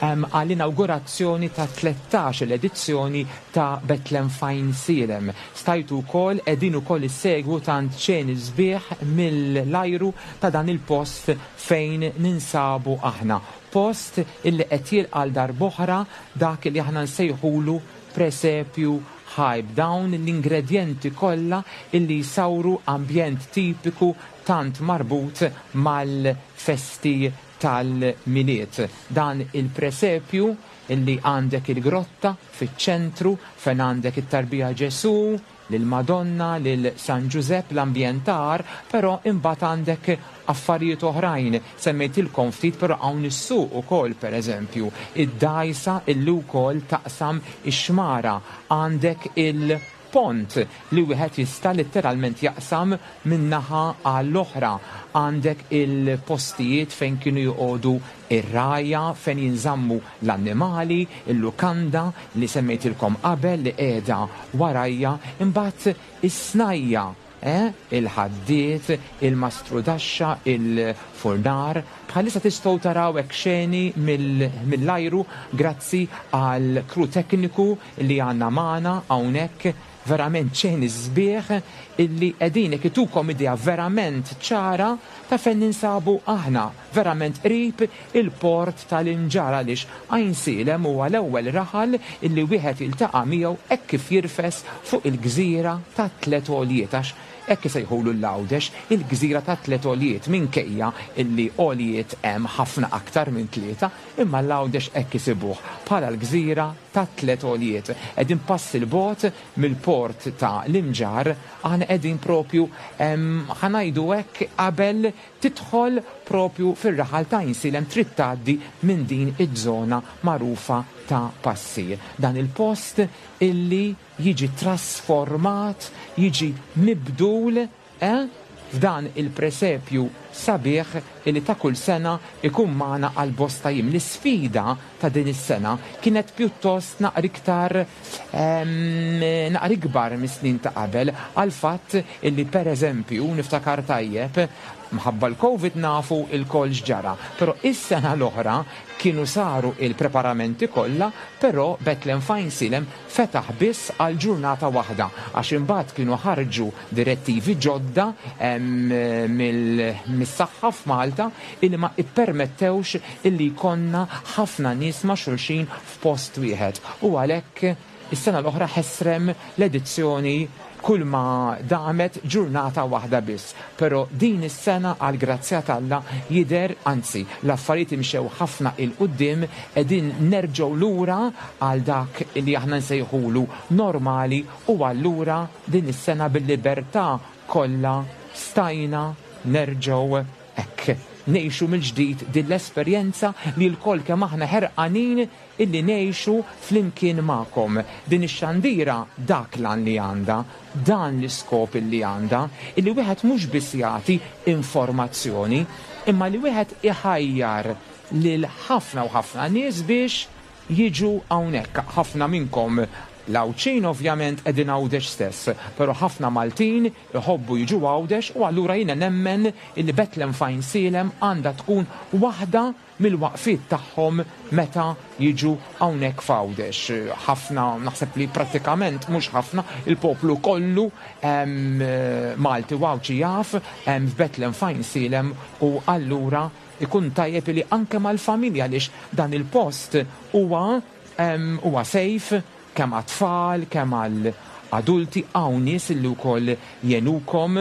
Speaker 2: għall-inawgurazzjoni ta' 13-il edizzjoni ta' Bethlehem f'Għajnsielem. Stajtu wkoll qegħdin ukoll issegwu tant xeni sbieħ mill-ajru ta' dan il-post fejn ninsabu aħna. Post illi qed jilqa' għal darb'oħra dak li aħna nsejħulu presepju ħaj b'dawn l-ingredjenti kollha illi jsawru ambjent tipiku tant marbut mal-festi tal-Milied. Dan il-presepju illi għandek il-grotta fiċ-ċentru fejn għandek it-tarbija Ġesù, lill-Madonna, lil San Ġużepp, l-ambjent ta' għar, però imbagħad għandek affarijiet oħrajn. Semmejtilkom ftit però hawn is-suq ukoll pereżempju, id-dgħajsa illi wkoll taqsam ix-xmara, għandek il pont li wieħed jista' litteralment jaqsam minn naħa għall-oħra. Għandek il-postijiet fejn kienu joqogħdu r-rgħajja, fejn jinżammu l-annimali, il-lukanda li semmejtilkom qabel li qiegħda warajja, imbagħad is-snajja', eh, il-ħaddied, il-mastrudaxxa, il-furnar. Bħalissa tistgħu taraw hekk xeni mill-ajru grazzi għall-crew tekniku li għandna magħna hawnhekk, verament xeni sbieħ illi qegħdin hekk itukom idea verament ċara ta' fejn ninsabu aħna, verament qrib il-port tal-Imġarr għaliex Għajnsielem huwa l-ewwel raħal illi wieħed jiltaqa' miegħu hekk kif jirfes fuq il-gżira tat-tliet għoljiet għax hekk isejħulu l-Għawdex, il-gżira tat-tliet għoljiet minkejja illi għoljiet hemm ħafna aktar minn tlieta, imma l-Għawdex hekk isibuh bħala l-gżira tat-tliet għoljiet. Qegħdin pass 'il bogħod mill-port ta' l-Imġarr, aħna qegħdin propju ħa ngħidu hekk qabel tidħol propju fir-raħal ta' Għajnsielem trid tgħaddi minn din iż-żona magħrufa ta' Passi. Dan il-post illi jiġi trasformat, jiġi mibdul, eh, f'dan il-presepju sabiħ illi ta' kull sena jkun magħna għal bosta jiem. L-isfida ta' din is-sena kienet pjuttost naqra iktar naqra ikbar mis-snin ta' qabel għall-fatt illi pereżempju niftakar tajjeb mħabba l-Covid nafu lkoll x'ġara, però is-sena l-oħra kienu saru il-preparamenti kollha però Bethlehem f'Għajnsielem fetaħ biss għal ġurnata waħda għax imbagħad kienu ħarġu direttivi ġodda mis-saħħa f'Malta illi ma ippermettewx illi jkollna ħafna nies ma' xulxin f'post wieħed u għalhekk is-sena l-oħra ħesrem l-edizzjoni kull ma damet ġurnata waħda biss. Però din is-sena għall-grazzja t'Alla jidher, anzi l-affarijiet imxew ħafna 'il quddiem, qegħdin nerġgħu lura għal dak li aħna nsejħulu normali u allura din is-sena bil-libertà kollha stajna nerġgħu hekk ngħixu mill-ġdid din l-esperjenza li lkoll kemm aħna ħerqanin illi ngħixu flimkien magħkom. Din ix-xandira dak l-għan li għandha, dan l-iskop illi għandha, illi wieħed mhux biss jagħti informazzjoni, imma li wieħed iħajjar lil ħafna u ħafna nies biex jiġu hawnhekk. Ħafna minnkom l-Għawdxin ovvjament qegħdin Għawdex stess, però ħafna Maltin iħobbu jiġu Għawdex u allura jiena nemmen illi Bethlehem f'Għajnsielem għandha tkun waħda mill-waqfiet tagħhom meta jiġu hawnhekk f'Għawdex. Ħafna, naħseb li prattikament mhux ħafna, il-poplu kollu Malti u Għawdxi jaf f'Bethlehem f'Għajnsielem u allura ikun tajjeb li anke mal-familja għaliex dan il-post huwa huwa safe. kemm għat-tfal, kemm għal adulti, hawn nies illi wkoll jgħinukom,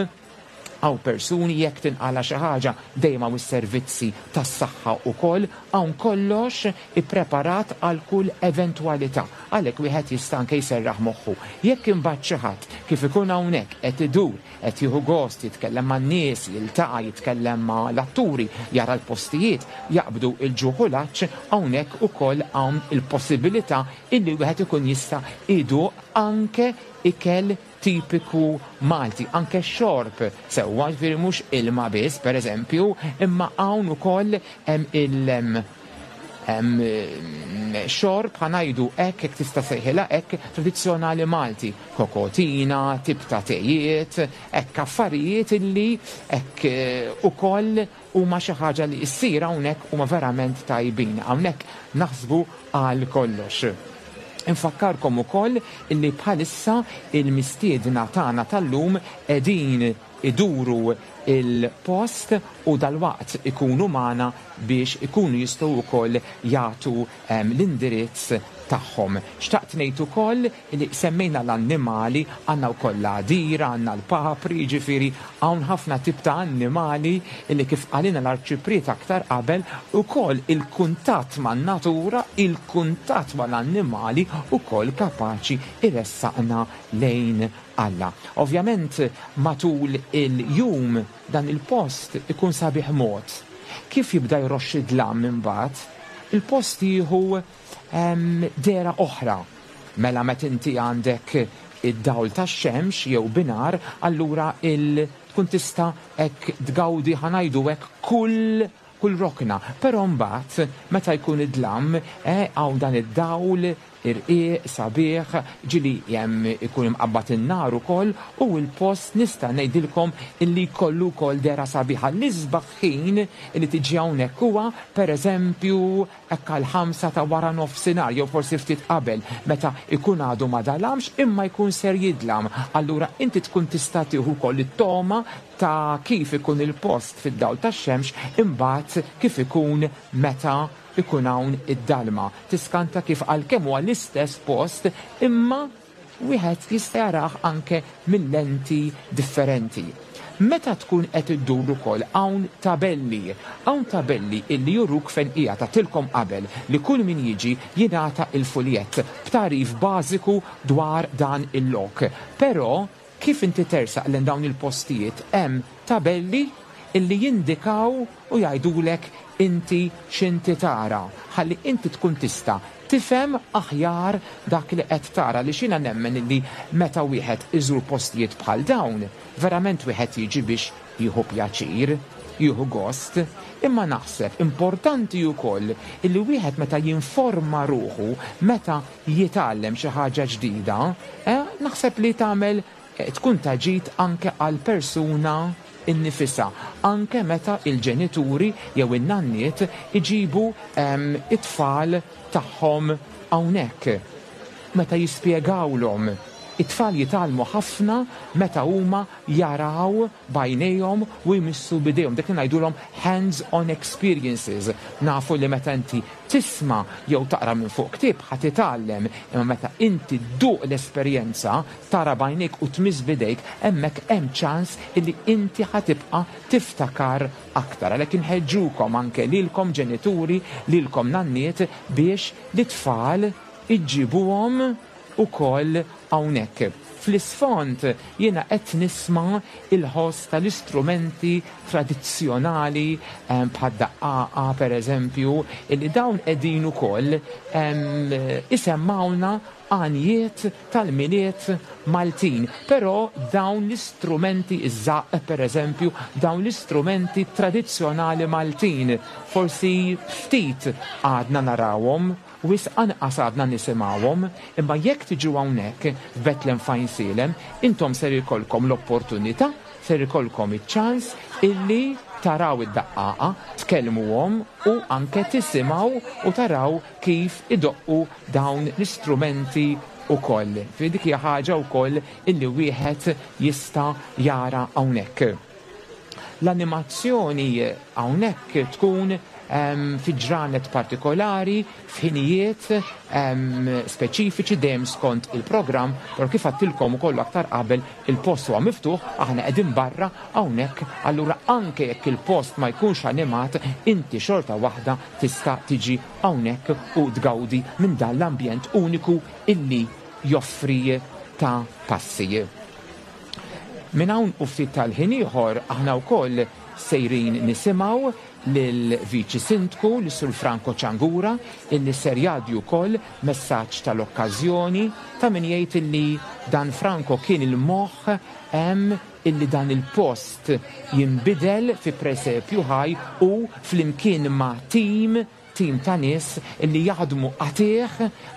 Speaker 2: hawn persuni jekk tinqala' xi ħaġa dejjem hawn is-servizzi tas-saħħa wkoll, hawn kollox ippreparat għal kull eventwalità. Għalhekk wieħed jista' anke jserraħ moħħu. Jekk imbagħad xi ħadd kif ikun hawnhekk qed idur, qed jieħu gost jitkellem man-nies, jiltaqa', jitkellem ma' l-atturi, jara l-postijiet, jaqbdu l-ġuħ u l-għatx, hawnhekk ukoll hawn il-possibilità illi wieħed ikun jista' iduq anke ikel tipiku Malti, anke xorb sewwa, jiġifieri mhux ilma biss pereżempju, imma hawn ukoll hemm il hemm xorb ħa ngħidu hekk jekk tista' sejħilha hekk tradizzjonali Malti, kokotina, tip ta' tejiet, hekk affarijiet illi hekk ukoll huma xi ħaġa li ssir hawnhekk huma verament tajbin. Hawnhekk naħsbu għal kollox. Infakkarkom ukoll illi bħalissa il-mistiedna tagħna tal-lum qegħdin iduru il-post u dalwaqt ikunu magħna biex ikunu jistgħu wkoll jagħtu l-indirizz tagħhom. Xtaqt ngħid ukoll li semmejna l-annimali, għandna wkoll l-għadira, għandna l-papri, jiġifieri hawn ħafna tip ta' annimali li kif qalilna l-Arċipriet aktar qabel, ukoll il-kuntatt man-natura, il-kuntatt mal-annimali wkoll kapaċi jressaqna lejn Alla. Ovvjament matul il-jum dan il-post ikun sabiħ mod. Kif jibda jroxx id-dlam imbagħad, il-post jieħu dehra oħra. Mela meta inti għandek id-dawl tax-xemx jew binhar, allura il tkun tista' hekk tgawdi ħa ngħidu hekk kull kull rokna. Però mbagħad meta jkun id-dlam, eh, hawn dan id-dawl irqiq, sabiħ, ġieli hemm ikun imqabbad in-nar ukoll u l-post nista' ngħidilkom illi jkollu wkoll dehra sabiħa. L-isbaħ ħin li tiġi hawnhekk huwa pereżempju hekk għall-ħamsa ta' wara nofsinhar jew forsi ftit qabel meta jkun għadu ma dalamx imma jkun ser jidlam. Allura inti tkun tista' tieħu wkoll it-togħma ta' kif ikun il-post fid-dawl tax-xemx imbagħad kif ikun meta jkun hawn id-dalma. Tiskanta kif għalkemm huwa l-istess post imma wieħed jista' jarah anke minn lenti differenti. Meta tkun qed iddur ukoll hawn tabelli. Hawn tabelli illi juruk fejn qiegħed. Għedtilkom qabel li kull min jiġi jingħata il-fuljett b'tagħrif bażiku dwar dan il-lok. Però kif inti tersaq lejn dawn il-postijiet hemm tabelli illi jindikaw u jgħidulek inti x'inti tara ħalli inti tkun tista' tifhem aħjar dak li qed tara għaliex jiena nemmen illi meta wieħed iżur postijiet bħal dawn verament wieħed jiġi biex jieħu pjaċir, jieħu gost, imma naħseb importanti wkoll illi wieħed meta jinforma ruħu, meta jitgħallem xi ħaġa ġdida, naħseb li tagħmel tkun ta' ġid anke għall-persuna nnifisha, anke meta l-ġenituri jew in-nanniet iġibu t-tfal tagħhom hawnhekk. Meta jispjegawlhom. It-tfal jitgħallmu ħafna meta huma jaraw b'għajnejhom u jmissu b'idejhom, dak li ngħidulhom hands on experiences. Nafu li meta inti tisma' jew taqra minn fuq ktieb ħa titgħallem, imma meta inti dduq l-esperjenza, tara b'għajnejk u tmiss b'idejk, hemmhekk hemm ċans illi inti ħa tibqa' tiftakar aktar. Għalhekk inħeġġukom anke lilkom ġenituri, lilkom nanniet biex lit-tfal iġġibuhom ukoll hawnhekk. Fl-isfond jiena qed nisma' l-ħoss tal-istrumenti tradizzjonali bħad-daqqaqa pereżempju, illi dawn qegħdin ukoll isemmgħulna għanjiet tal-Milied Maltin. Però dawn l-istrumenti, iż-żaqq pereżempju, dawn l-istrumenti tradizzjonali Maltin forsi ftit għadna narawhom. Wisq anqas għadna nisimgħuhom, imma jekk tiġu hawnhekk f'Bethlehem f'Għajnsielem, intom ser ikollkom l-opportunità, ser ikollkom iċ-ċans illi taraw id-daqqaqa, tkellmuhom u anke tisimgħu u taraw kif idoqqu dawn l-istrumenti wkoll. Ġifieri dik hija ħaġa wkoll illi wieħed jista' jara hawnhekk. L-animazzjoni hawnhekk tkun fi ġranet partikolari, f'ħinijiet speċifiċi dejjem skont il-programm, però kif għadtilkom ukoll aktar qabel il-post huwa miftuħ, aħna qegħdin barra hawnhekk, allura anke jekk il-post ma jkunx animat, inti xorta waħda tista' tiġi hawnhekk u tgawdi minn dan l-ambjent uniku illi joffri ta' passi. Minn hawn u ftit tal-ħin ieħor aħna wkoll sejrin nisimgħu lill-Viċi Sindku, lis-Sur Franco Ciangura, illi ser jgħaddi wkoll messaġġ tal-okkażjoni ta' min jgħid illi dan Franco kien il-moħħ hemm illi dan il-post jinbidel fi presepju ħaj u flimkien ma' tim tim ta' nies illi jaħdmu qatigħ,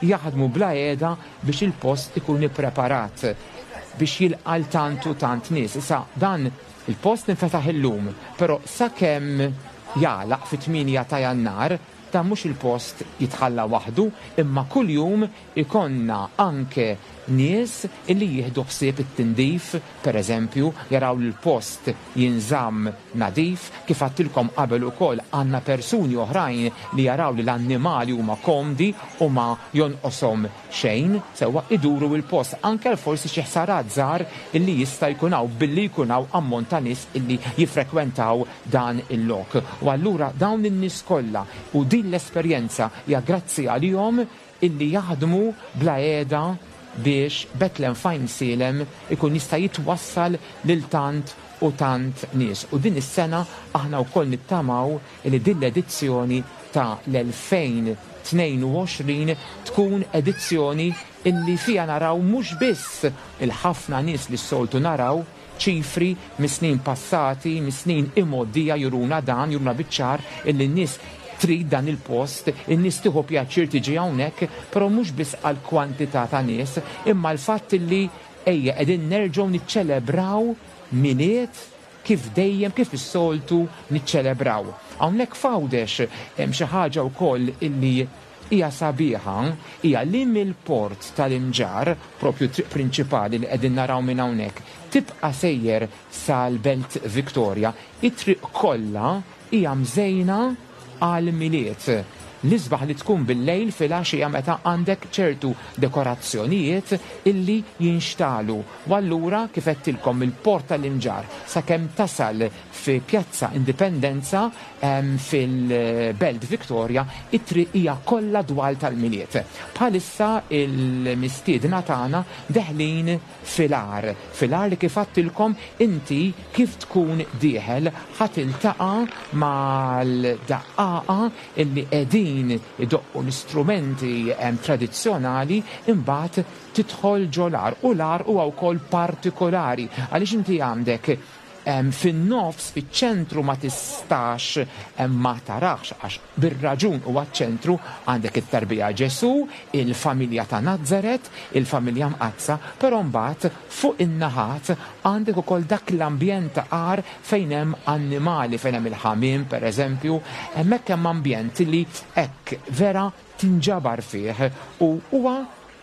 Speaker 2: jaħdmu bla heda biex il-post ikun ippreparat biex jilqa' 'l tant u tant nies. Issa dan il-post infetaħ illum, però sakemm jagħlaq fit-8 ta' Jannar, dan mhux il-post jitħalla waħdu imma kuljum ikollna anke nies illi jieħdu ħsieb it-tindif, per eżempju, jaraw li l-post jinżamm nadif. Kif għadtilkom qabel ukoll għandna persuni oħrajn li jaraw li l-annimali huma komdi u ma jonqoshom xejn, sewwa iduru l-post anke għal forsi xi ħsarat żgħar illi jista' jkun hawn billi jkun hawn ammont ta' nies illi jiffrekwentaw dan il-lok. U allura dawn in-nies kollha u din l-esperjenza hija grazzi għalihom illi jaħdmu bla heda biex Bethlehem f'Għajnsielem ikun jista' jitwassal lil tant u tant nies. U din is-sena aħna wkoll nittamaw illi din l-edizzjoni ta' l-2022 tkun edizzjoni illi fiha naraw mhux biss il-ħafna nies li s-soltu naraw, ċifri mis-snin passati, mis-snin imgħoddija juruna dan, juruna biċ-ċar illi n-nies trid dan il-post, in-nies tieħu pjaċir tiġi hawnhekk, però mhux biss għall-kwantità ta' nies, imma l-fatt illi ejja qegħdin nerġgħu niċċelebraw Milied kif dejjem, kif is-soltu niċċelebraw. Hawnhekk f'Għawdex hemm xi ħaġa wkoll illi hija sabiħa, hija li mill-port tal-Imġarr, propju t-triq prinċipali li qegħdin naraw minn hawnhekk, tibqa' sejjer sal-Belt Victoria, it-triq kollha hija mżejna għall-Milied. L-isbaħ li tkun bil-lejl filgħaxija meta għandek ċertu dekorazzjonijiet illi jinxtagħlu. U allura kif għedtilkom mill-Port tal-Imġarr sakemm tasal fi Pjazza Indipendenza fil-Belt Victoria, it-triq hija kollha dwal tal-Milied. Bħalissa il-mistiedna tagħna deħlin fil-għar. Fil-għar li kif għadtilkom inti kif tkun dieħel ħa tiltaqa' mal-daqqaqa illi qegħdin idoqqu l-istrumenti tradizzjonali imbagħad tidħol ġol-għar u l-għar huwa wkoll partikolari għaliex inti għandek fin-nofs, fiċ-ċentru ma tistax ma tarax għax bir-raġun huwa ċ-ċentru, għandek it-tarbija Ġesù, il-familja ta' Nazaret, il-familja mqaddsa, però mbagħad fuq in-naħat għandek ukoll dak l-ambjent ta' għar fejn hemm annimali, fejn hemm il-ħamiem pereżempju, hemmhekk hemm ambjent li hekk vera tinġabar fih u huwa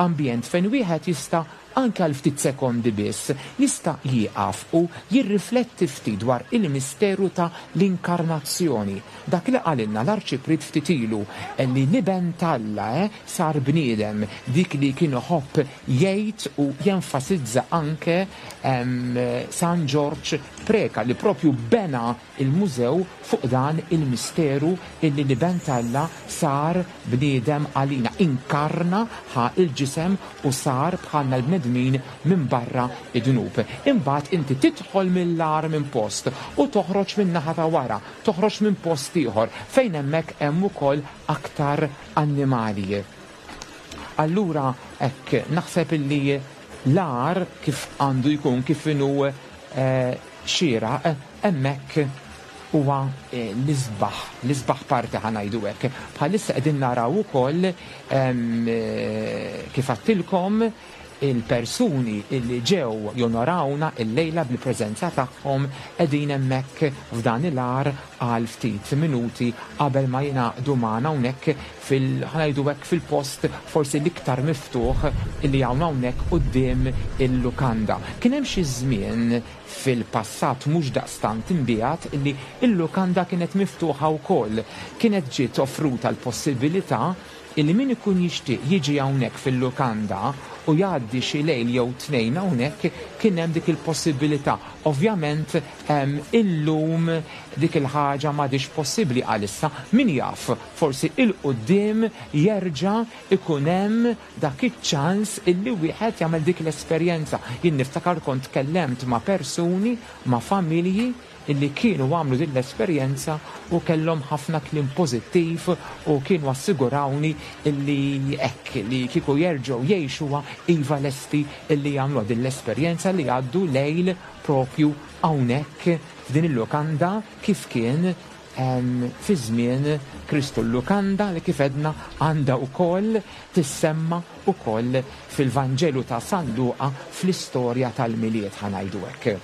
Speaker 2: ambjent fejn wieħed jista' anke għal ftit sekondi biss, jista' jieqaf u jirrifletti ftit dwar il-misteru ta' l-inkarnazzjoni. Dak li qalilna l-Arċipriet ftit ilu, li l-Iben t'Alla sar bniedem, dik li kien iħobb jgħid u jenfasizza anke San Ġorġ Preca li propju bena il-mużew fuq dan il-misteru illi l-Iben t'Alla sar bniedem għalina, inkarna, ħa l-ġisem u sar bħalna l-bnedmin minbarra d-dnub. Imbagħad inti tidħol mill-agħar minn post u toħroġ min-naħa ta' wara, toħroġ minn post ieħor fejn hemmhekk hemm ukoll aktar annimali. Allura hekk naħseb illi l-agħar kif għandu jkun, kif inhu xieraq, hemmhekk huwa l-isbaħ, l-isbaħ parti ħa ngħidu hekk. Bħalissa qegħdin naraw ukoll kif għadtilkom. Il-persuni illi ġew jonorawna illejla bil-preżenza tagħhom qegħdin hemmhekk f'dan il-għar għal ftit minuti qabel ma jingħaqdu magħna hawnhekk fil, ħa ngħidu hekk, fil-post forsi l-iktar miftuħ illi hawn hawnhekk quddiem il-lukanda. Kien hemm xi żmien fil-passat mhux daqstant imbiegħed illi l-lukanda kienet miftuħa wkoll. Kienet ġiet offruta l-possibilità illi min ikun jixtieq jiġi hawnhekk fil-lukanda u jgħaddi xi lejl jew tnejn hawnhekk kien hemm dik il-possibilità. Ovvjament illum dik il-ħaġa m'għadhiex possibbli għalissa. Min jaf, forsi 'il quddiem jerġa' ikun hemm dak iċ-ċans illi wieħed jagħmel dik l-esperjenza. Jien niftakar kont tkellemt ma' persuni, ma' familji illi kienu għamlu din l-esperjenza u kellhom ħafna kliem pożittiv u kienu assigurawni illi hekk li kieku jerġgħu jgħixuha iva lesti illi jagħmluha din l-esperjenza li jgħaddu lejl propju hawnhekk f'din il-lukanda kif kien fi żmien Kristu. L-lukanda li kif għedna għandha wkoll tissemma wkoll fil-Vanġelu ta' San Luqa fl-istorja tal-Milied ħa ngħidu hekk.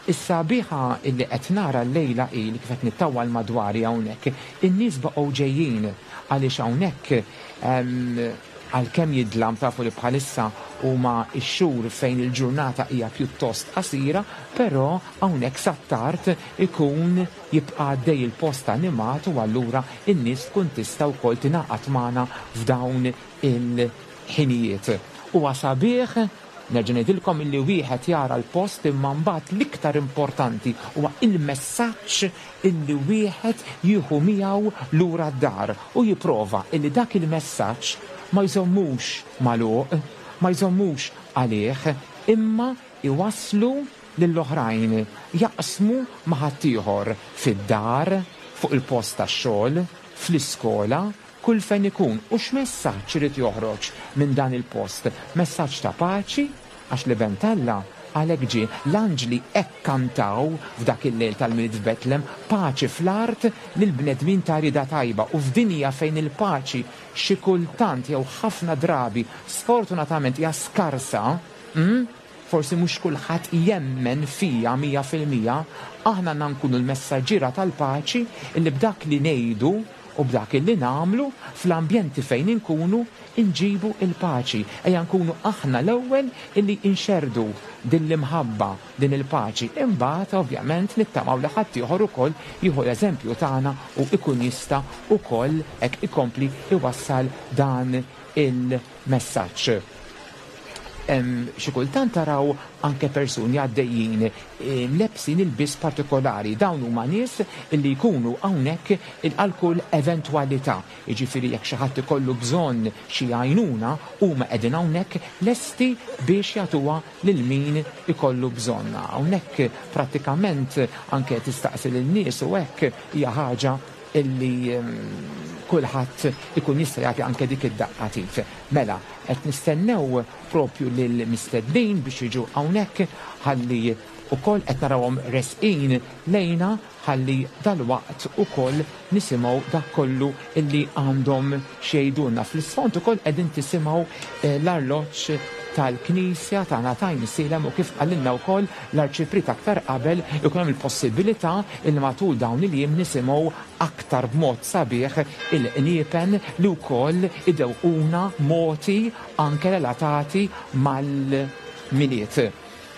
Speaker 2: Is-sabiħa illi qed nara llejla hi li kif qed nittawwal madwari hawnhekk, in-nies baqgħu ġejjin għaliex hawnhekk għalkemm jidlam tafu li bħalissa huma x-xhur fejn il-ġurnata hija pjuttost qasira, però hawnhekk sat-tard ikun jibqa' għaddej il-post animat u allura n-nies tkun tista' wkoll tingħaqad magħna f'dawn il-ħinijiet. Huwa sabiħ Nerġa' ngħidilkom illi wieħed jara l-post imma mbagħad l-iktar importanti huwa il-messaġġ illi wieħed jieħu miegħu lura d-dar u jipprova illi dak il-messaġġ ma jżommux magħluq, ma jżommux għalih imma jwasslu lill-oħrajn, jaqsmu ma' ħaddieħor fid-dar, fuq il-post tax-xogħol, fl-iskola, kull fejn ikun, u x'messaġġ irid joħroġ minn dan il-post? Messaġġ ta' paċi, għax l-Iben t'Alla għalhekk ġie. L-anġli hekk kantaw f'dak il-lejl tal-Milied f'Betlem, Paċi fl-art lill-bnedmin ta' rieda tajba. U f'dinja fejn il-paċi xi kultant jew ħafna drabi sfortunatament hija skarsa, forsi mhux kulħadd jemmen fija 100%, aħna għandna nkunu l-messaġġiera tal-paċi illi b'dak li ngħidu u b'dak illi nagħmlu fl-ambjenti fejn inkunu nġibu l-paċi. Ejja nkunu aħna l-ewwel illi nxerrdu din l-imħabba, din il-paċi. Imbagħad ovvjament nittamaw li ħaddieħor ukoll jieħu l-eżempju tagħna u jkun jista' ukoll hekk ikompli jwassal dan il-messaġġ. Xi kultant taraw anke persuni għaddejjin mlebbsin ilbies partikolari. Dawn huma nies li jkunu hawnhekk għal kull eventwalità. Jiġifieri jekk xi ħadd ikollu bżonn xi għajnuna, huma qegħdin hawnhekk lesti biex jagħtuha lil min ikollu bżonn. Hawnhekk prattikament anke tistaqsi lin-nies u hekk hija ħaġa illi kulħadd ikun jista' jagħti anke dik id-daqqa t'id. Mela, qed nistennew propju lill-mistednin biex jiġu hawnhekk ħalli wkoll qed narawhom resqin lejna ħalli dalwaqt ukoll nisimgħu dak kollu illi għandhom x'jgħidulna. Fl-isfond ukoll qegħdin tisimgħu l-arloġġ tal-Knisja tagħna t'Għajnsielem u kif qalilna wkoll l-Arċipriet aktar qabel ikun hemm il-possibilità illi matul dawn il-jiem nisimgħu aktar b'mod sabiħ il-qniepen li wkoll idewquna moti anke relatati mal-Milied.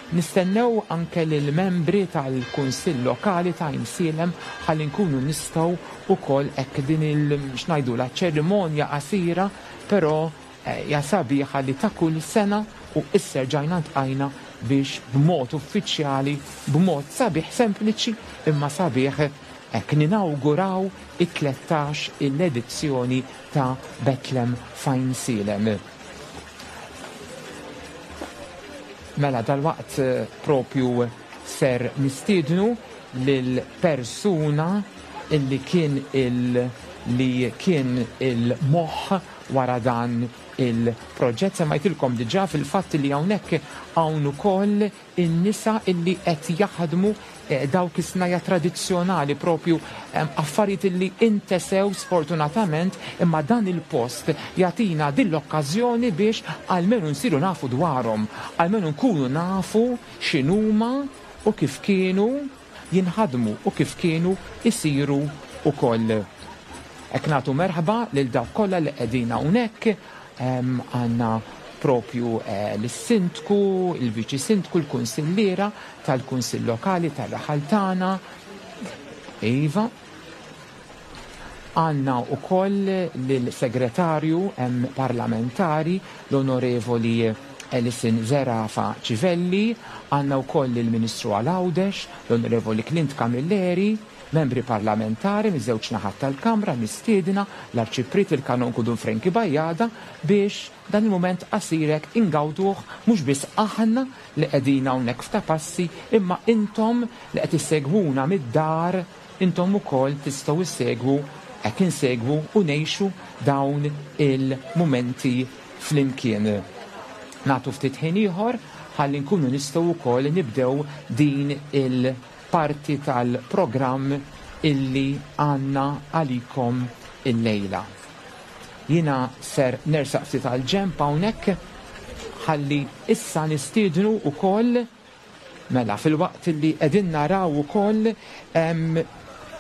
Speaker 2: Nistennew anke lill-membri tal-Kunsill Lokali ta' Għajnsielem ħalli nkunu nistgħu wkoll hekk din il x'ngħidulha ċerimonja qasira però hija sabiħa li ta' kull sena u issa rġajna ltqajna biex b'mod uffiċjali, b'mod sabiħ sempliċi imma sabiħ hekk ninawguraw it-13 il-edizzjoni ta' Betlem f'Għajnsielem. Mela dalwaqt propju ser nistiednu lil persuna illi kien il li kien il-moħħ wara dan il-proġett. Semmajtilkom diġà fil-fatt li hawnhekk hawn ukoll in-nisa illi qed jaħdmu dawk is-snajja' tradizzjonali propju affarijiet illi intesew sfortunatament imma dan il-post jagħtina din l-okkażjoni biex almenu nsiru nafu dwarhom, almenu nkunu nafu x'inhuma u kif kienu jinħadmu u kif kienu jsiru wkoll. Hekk nagħtu merħba lil dawk kollha li qegħdin hawnhekk għandna propju lis-Sindku, il-Viċi Sindku, il-Kunsilliera tal-Kunsill Lokali tar-raħal tagħna. Iva. Għandna wkoll lill-Segretarju Parlamentari, l-Onorevoli Alison Zerafa Civelli, għandna wkoll lill-Ministru għal Għawdex, l-Onorevoli Clint Camilleri, membri parlamentari miż-żewġ naħat tal-Kamra mistiedna, l-Arċipriet il-Kanonku Dun Frankie Bajada biex dan il-mument qasir hekk ingawduh mhux biss aħna li qegħdin hawnhekk f'Ta' Passi imma intom li qed issegwuna mid-dar intom ukoll tistgħu ssegwu hekk insegwu u ngħixu dawn il-mumenti flimkien. Nagħtu ftit ħin ieħor ħalli nkunu nistgħu wkoll nibdew din il- parti tal-programm illi għandna għalikom illejla. Jiena ser nersaq ftit għall-ġenb hawnhekk ħalli issa nistiednu wkoll mela filwaqt illi qegħdin naraw ukoll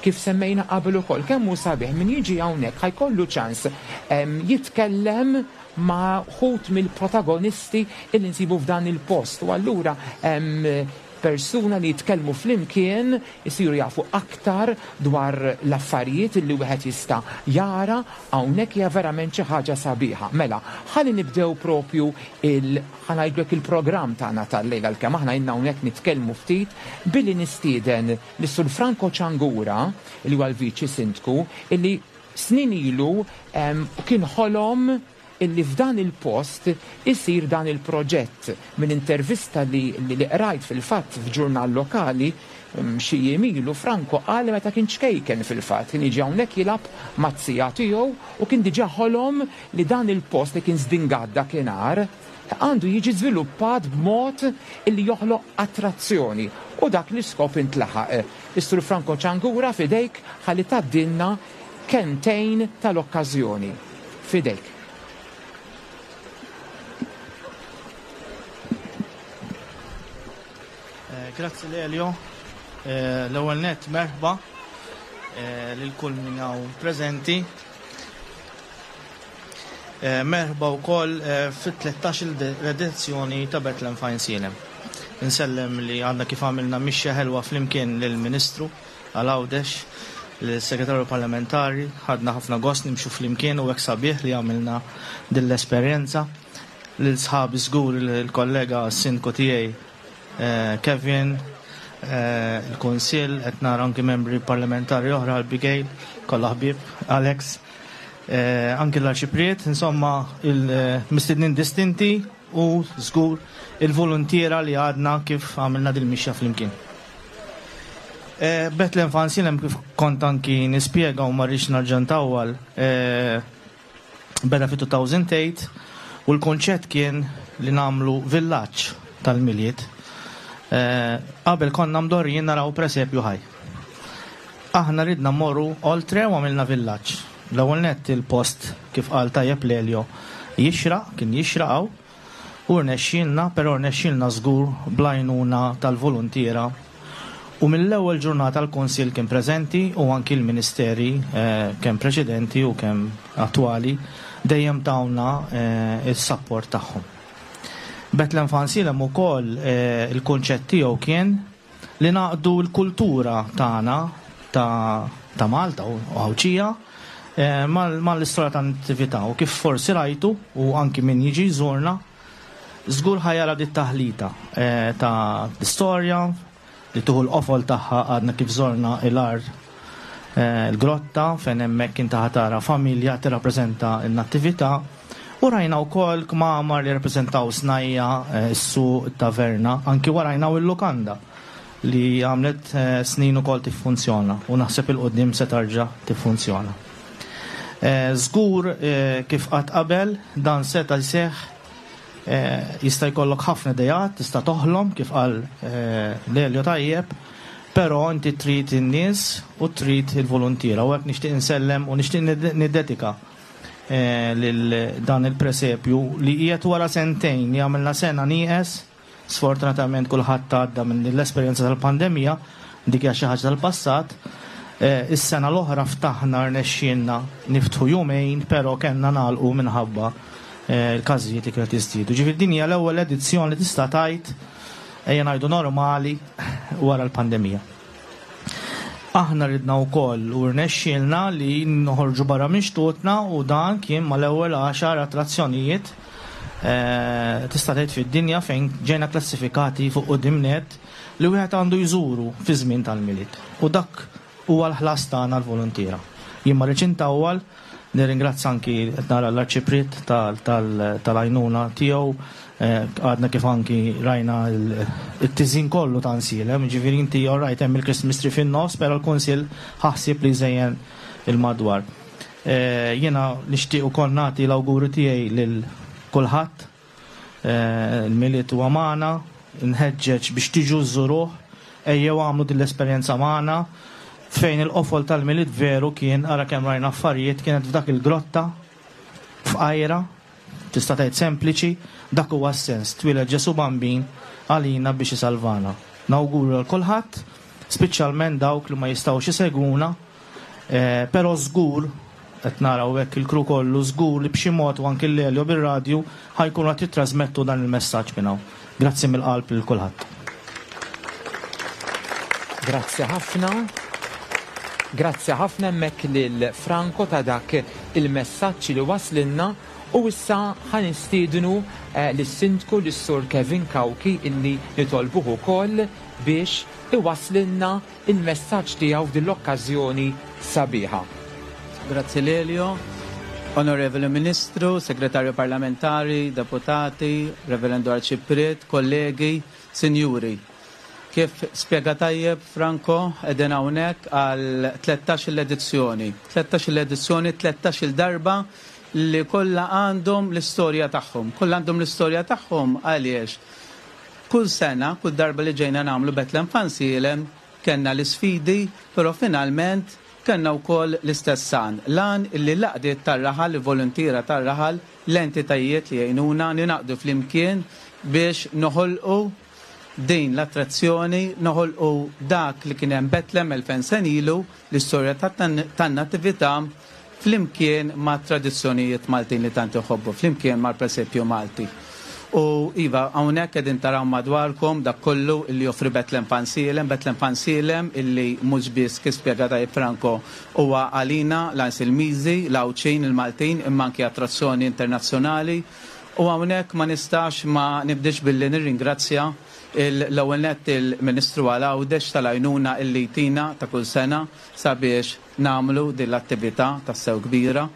Speaker 2: kif semmejna qabel ukoll kemm hu sabiħ min jiġi hawnhekk ħa jkollu ċans jitkellem ma' wħud mill-protagonisti illi nsibu f'dan il-post u allura persuna li jitkellmu flimkien, isiru jafu aktar dwar l-affarijiet li wieħed jista' jara hawnhekk hija verament xi ħaġa sabiħa. Mela, ħalli nibdew propju il ħa ngħidlek il-programm tagħna tal-lejl għalkemm aħna ilna hawnhekk nitkellmu ftit billi nistieden lis-Sur Franco Ciangura li huwa l-Viċi Sindku illi snin ilu kien ħolom illi f'dan il-post isir dan il-proġett. Minn intervista li li qrajt fil-fatt f'ġurnal lokali xi jiem ilu, Franco qal li meta kien ċkejken fil-fatt kien jiġi hawnhekk jilgħab maz-zija tiegħu u kien diġà ħolom li dan il-post li kien żdingat dakinhar għandu jiġi żviluppat b'mod illi joħloq attrazzjoni u dak l-iskop intlaħaq. Is-Sur Franco Ciangura f'idejk ħalli tgħaddilna kelmtejn tal-okkażjoni. F'idejk.
Speaker 5: Grazzi Lelio. L-ewwel nett merħba lil kull min hawn preżenti. Merħba wkoll fit-13-il edizzjoni ta' Bethlehem f'Għajnsielem. Insellem li għadna kif għamilna mixja ħelwa flimkien lill-Ministru għal Għawdex, lis-Segretarju Parlamentari, ħadna ħafna gost nimxu flimkien u hekk sabiħ li għamilna din l-esperjenza. Lil sħabi żgur il-kollega Sindku tiegħi Kevin, il-Kunsill, qed nara anki membri parlamentari oħra, Abigail, kollha ħbieb, Alex, anki l-Arċipriet, insomma il-mistednin distinti u żgur il-voluntiera li għadna kif għamilna dil-mixja flimkien. Bethlehem Fansilem kif kont anki nispjega u ma rridx nerġa' ntawwal beda fi 2008 u l-konċett kien li nagħmlu villaġġ tal-Milied. Qabel konna mdorrijin naraw presepju ħaj. Aħna ridna mmorru oltre u għamilna villaġġ. L-ewwel nett il-post kif qal tajjeb Lelio jixraq, kien jixraq hawn. U rnexxielna, però rnexxielna żgur bl-għajnuna tal-voluntiera u mill-ewwel ġurnata l-Kunsill kien preżenti u anki l-Ministeri kemm preċedenti u kemm attwali dejjem tawna s-sapport tagħhom. Bethlehem Fansilem ukoll il-kunċett tiegħu kien li ngħaqqdu l-kultura tagħna ta' Malta u Għawdxija mal-istorja tan-Natività u kif forsi rajtu u anki min jiġi jżurna żgur ħa jara dit-taħlita ta' l-istorja li tieħu l-qofol tagħha għadna kif żorna il-għar il-grotta fejn hemmhekk inti ħa tara familja tirrappreżenta n-Natività u rajna wkoll kmamar li jirrappreżentaw snajja, is-suq, it-taverna, anki warajna hawn il-lukanda li għamlet snin ukoll tiffunzjona u naħseb 'il quddiem se tarġa' tiffunzjona. Żgur kif qatt qabel dan seta' jseħħ jista' jkollok ħafna ideat, tista' toħlom kif qal Lelio tajjeb, però inti trid in-nies u trid il-voluntiera u hekk nixtieq insellem u nixtieq niddedika lil dan il-presepju li qiegħed wara sentejn li għamilna sena nieqes. Sfortunatament kulħadd għadda minn din l-esperjenza tal-pandemija, dik hija xi ħaġa tal-passat. Is-sena l-oħra ftaħna rnexxielna niftħu jumejn, però kellna nagħlqu minħabba l-każijiet li kienu qed jiżdiedu. Ġifieri din hija l-ewwel edizzjoni li tista' tgħid ejja ngħidu normali wara l-pandemija. Aħna ridna wkoll u rnexxielna li noħorġu barra minn xtutna u dan kien mal-ewwel għaxar attrazzjonijiet tista' tgħid fid-dinja fejn ġejna klassifikati fuq quddiem nett li wieħed għandu jżuru fi żmien tal-Milied. U dak huwa l-ħlas tagħna l-voluntiera. Jien ma rridx intawwal, nirringrazzja anki qed nara l-Arċipriet tal-għajnuna tiegħu, għadna kif anki rajna t-tiżjin kollu ta' Nsielem, jiġifieri inti all right hemm il-Christmas tree fin-nofs, però l-Kunsill ħa ħsieb li jżejjen il-madwar. Jiena nixtieq ukoll nagħti l-awguri tiegħi lil kulħadd. Il-Milied huwa magħna, nħeġġeġ biex tiġu żżuruh, ejjew agħmlu din l-esperjenza magħna fejn il-qofol tal-Milied veru kien, ara kemm rajna affarijiet, kienet f'dak il-grotta fqajra, tista' tgħid sempliċi, dak huwa s-sens, twieled Ġesù Bambin għalina biex isalvana. Nawguru lil kulħadd, speċjalment dawk li ma jistgħux isegwuna, Però żgur, qed nara hawnhekk il-crew kollu, żgur li b'xi mod u anki l-Lelio bir-radju ħa jkunu qed jittrażmettu dan il-messaġġ minn hawn. Grazzi mill-qalb lil kulħadd.
Speaker 2: Grazzi ħafna. Grazzi ħafna hemmhekk lil Franco ta' dak il-messaġġ li waslilna u issa ħa nistiednu lis-Sindku lis-Sur Kevin Cauchi illi nitolbuh ukoll biex iwasslilna il-messaġġ tiegħu f'din l-okkażjoni sabiħa.
Speaker 6: Grazzi Lelio. Onorevoli Ministru, Segretarju Parlamentari, Deputati, Reverendo Arċipriet, kollegi, Sinjuri. Kif spjega tajjeb Franco, qegħdin hawnhekk għal 13-il edizzjoni. 13-il edizzjoni, 13-il darba li kollha għandhom l-istorja tagħhom. Kollha għandhom l-istorja tagħhom għaliex Kull sena, kull darba li ġejna nagħmlu Bethlehem Fansielem, kellna l-isfidi, però finalment kellna wkoll l-istess għan, l-għan illi l-għaqdiet tar-raħal, il-voluntiera tar-raħal, l-entitajiet li jgħinuna, ningħaqdu flimkien biex noħolqu din l-attrazzjoni, noħolqu dak li kien hemm Bethlehem 2000 sena ilu, l-istorja tan-Natività, flimkien mat-tradizzjonijiet Maltin li tant iħobbu, flimkien mal-presepju Malti. U iva, hawnhekk qegħdin taraw madwarkom dak kollu illi joffri Bethlehem Fansielem, Bethlehem Fansielem illi mhux biss kif spjega tajjeb Franco huwa għalina l-Għajnsilmiżi, l-Għawdxin, il-Maltin imma anki attrazzjoni internazzjonali. U hawnhekk ma nistax ma nibdiex billi nirringrazzja l-ewwel nett il-Ministru għal Għawdex tal-għajnuna illi jtina ta' kull sena sabiex nagħmlu din l-attività tassew kbira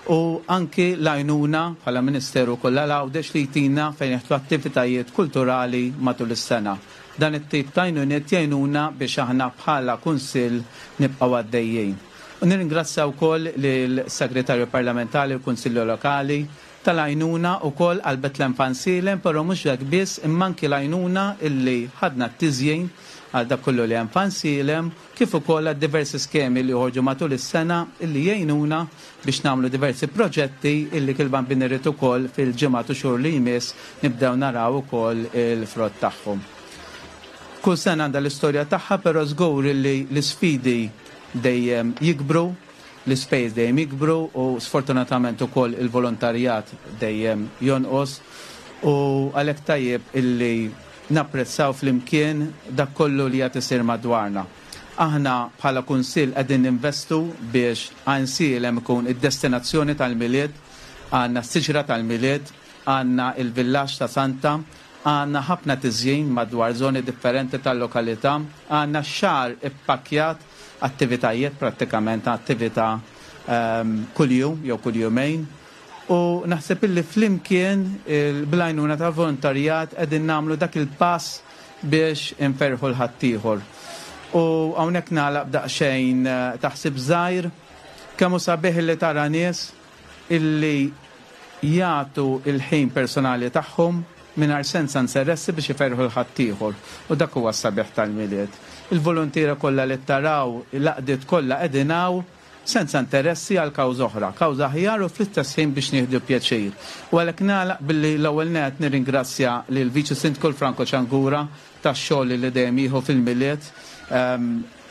Speaker 6: u anki l-għajnuna bħala Ministeru wkoll għal Għawdex li jtina fejn jeħtlu attivitajiet kulturali matul is-sena. Dan it-tip ta' għajnuniet jgħinuna biex aħna bħala Kunsill nibqgħu għaddejjin. U nirringrazzja wkoll lill-Segretarju Parlamentari u l-Kunsilli Lokali tal-għajnuna wkoll għal Bethlehem Fansielem però mhux hekk biss imma anki l-għajnuna illi ħadna t-tiżjin għal dak kollu li hemm f'Għajnsielem kif ukoll għad-diversi skemi li joħorġu matul is-sena illi jgħinuna biex nagħmlu diversi proġetti illi kil-Bambin irid ukoll fil-ġimgħat u xhur li jmiss nibdew naraw ukoll il-frott tagħhom. Kull sena għandha l-istorja tagħha però żgur illi l-isfidi dejjem jikbru, l-ispejjeż dejjem jikbru u sfortunatament ukoll il-volontarjat dejjem jonqos u għalhekk tajjeb illi napprezzaw flimkien dak kollu li qed isir madwarna. Aħna bħala Kunsill qegħdin ninvestu biex Għajnsielem ikun id-destinazzjoni tal-Milied, għandna s-siġra tal-Milied, għandna l-villaġġ ta' Santa, għandna ħafna tiżjin madwar żoni differenti tal-lokalità, għandna x-xahar ippakkjat attivitajiet, prattikament attività kuljum jew kull jumejn. U naħseb illi flimkien bl-għajnuna tal-volontarjat qegħdin nagħmlu dak il-pass biex inferrħu 'l ħaddieħor. U hawnhekk nagħlaq b'daqsxejn ta' ħsieb żgħir. Kemm hu sabiħ illi tara nies illi jagħtu l-ħin personali tagħhom mingħajr senza nseressi biex iferrħu 'l ħaddieħor. U dak huwa s-sabiħ tal-Milied. Il-voluntiera kollha li taraw, l-għaqdiet kollha qegħdin hawn senza interessi għal kawża oħra, kawża aħjar u fl-istess ħin biex nieħdu pjaċir. U għalhekk nagħlaq billi l-ewwel nett nirringrazzja lill-Viċi Sindku l-Franco Ciangura tax-xogħol li dejjem jieħu fil-Milied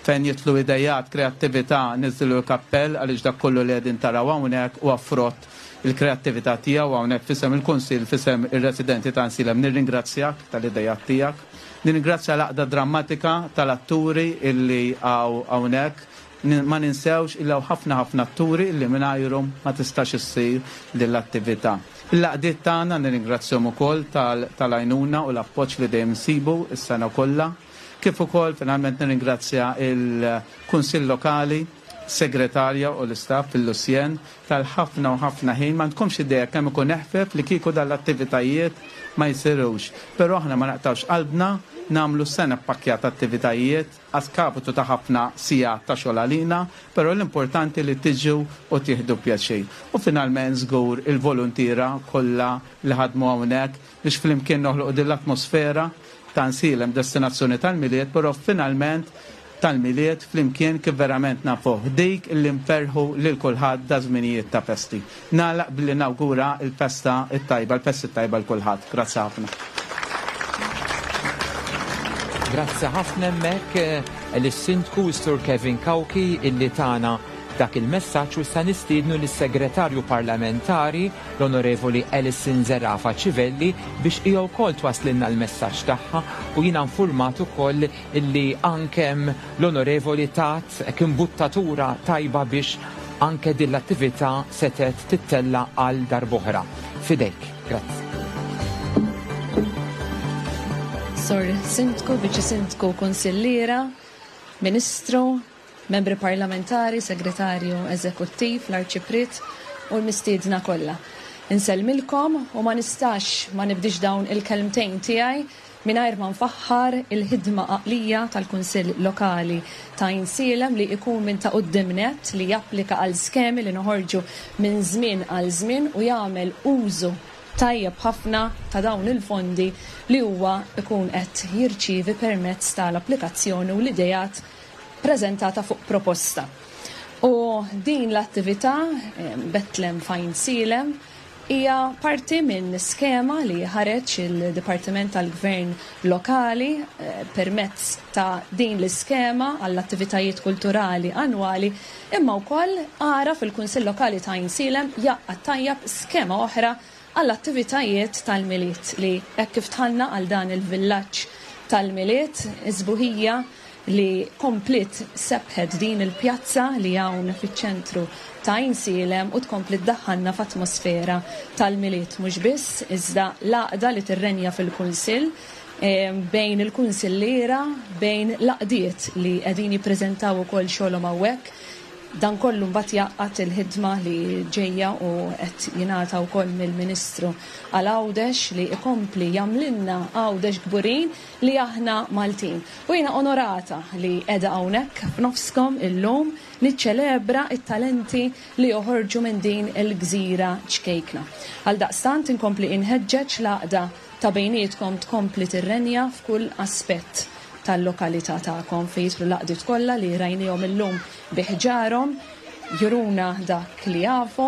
Speaker 6: fejn jidħlu ideat, kreattività, niżżilu l-kappell għaliex dak kollu li qegħdin taraw hawnhekk huwa frott il-kreattività tiegħu hawnhekk f'isem il-Kunsill, f'isem ir-residenti ta' Għajnsielem nirringrazzjak tal-ideat tiegħek. Nirringrazzja l-Għaqda Drammatika tal-atturi illi hawn hawnhekk. Ma ninsewx illi hawn ħafna ħafna atturi illi mingħajrhom ma tistax issir din l-attività. Il-għaqdiet tagħna nirringrazzjahom ukoll tal-għajnuna u l-appoġġ li dejjem insibu s-sena kollha. Kif ukoll finalment nirringrazzja l-Kunsill Lokali, segretarja u l-istaff fil-Lusjen tal-ħafna u ħafna ħin. M'għandkomx idea kemm ikun eħfef li kieku dan l-attivitajiet ma jsirux. Però aħna ma naqtgħux qalbna, nagħmlu sena ppakkjata attivitajiet a skapitu ta' ħafna sigħat ta' xogħol għalina, però l-importanti li tiġu u tieħdu pjaċir. U finalment żgur il-voluntiera kollha li ħadmu hawnhekk biex flimkien noħloqu din l-atmosfera ta' Nsielem destinazzjoni tal-Milied, però finalment tal-Milied flimkien kif verament nafuh, dik li nferrħu lil kulħadd daż-żminijiet ta' festi. Nagħlaq billi nawgura l-festa t-tajba, l-festi t-tajba 'l kulħadd. Grazzi ħafna.
Speaker 2: Grazzi ħafna hemmhekk lis-Sindku s-Sur Kevin Cauchi illi tana dak il-messaġġ u issa nistiednu lis-Segretarju Parlamentari l-Onorevoli Alison Zerafa Civelli biex hija wkoll twasslilna l-messaġġ tagħha u jiena nfurmat ukoll illi anke l-Onorevoli tat hekk imbuttatura tajba biex anke din l-attività setgħet tittella' għal darb'oħra. F'idejk. Grazzi.
Speaker 7: Sur Sindku, Viċi Sindku, Kunsilliera, Ministru, Membri Parlamentari, Segretarju Eżekuttiv, l-Arċipriet u l-mistiedna kollha. Insellmilkom u ma nistax ma nibdiex dawn il-kelmtejn tiegħi mingħajr ma nfaħħar il-ħidma għaqlija tal-Kunsill Lokali ta' Għajnsielem li ikun minn ta' quddiem nett li japplika għal skemi li noħorġu minn żmien għal żmien u jagħmel użu tajjeb ħafna ta' dawn il-fondi li huwa jkun qed jirċievi permezz tal-applikazzjoni u l-ideat preżentata fuq proposta. U din l-attività, Bethlehem f'Għajnsielem, Hija parti minn skema li ħareġ il-Dipartiment tal-Gvern Lokali permezz ta' din l-iskema għall-attivitajiet kulturali annwali imma wkoll għaraf il-Kunsill Lokali ta' Għajnsielem jgħaqqad tajjeb skema oħra għall-attivitajiet tal-Milied li hekk kif dħalna għal dan il-villaġġ tal-Milied is-sbuħija li kompliet sebħet din il-pjazza li hawn fiċ-ċentru ta' Għajnsielem u tkompli ddaħħalna f'atmosfera tal-Milied mhux biss iżda l-għaqda li tirrenja fil-Kunsill bejn il-kunsilliera, bejn l-għaqdiet li qegħdin jippreżentaw ukoll xogħolhom hawnhekk. Dan kollu mbagħad jgħaqqad il-ħidma li ġejja u qed jingħata wkoll mill-Ministru għal Għawdex li jkompli jagħmlilna Għawdex kburin li aħna Maltin. U jiena onorata li qiegħda hawnhekk f'nofskom illum niċċelebra t-talenti li joħorġu minn din il-gżira ċkejkna. Għaldaqstant inkompli inħeġġeġ l-għaqda ta' bejnietkom tkompli tirrenja f'kull aspett tal-lokalità tagħkom fejn jidħlu l-għaqdiet kollha li rajniehom illum bi ħġarhom juruna dak li jafu,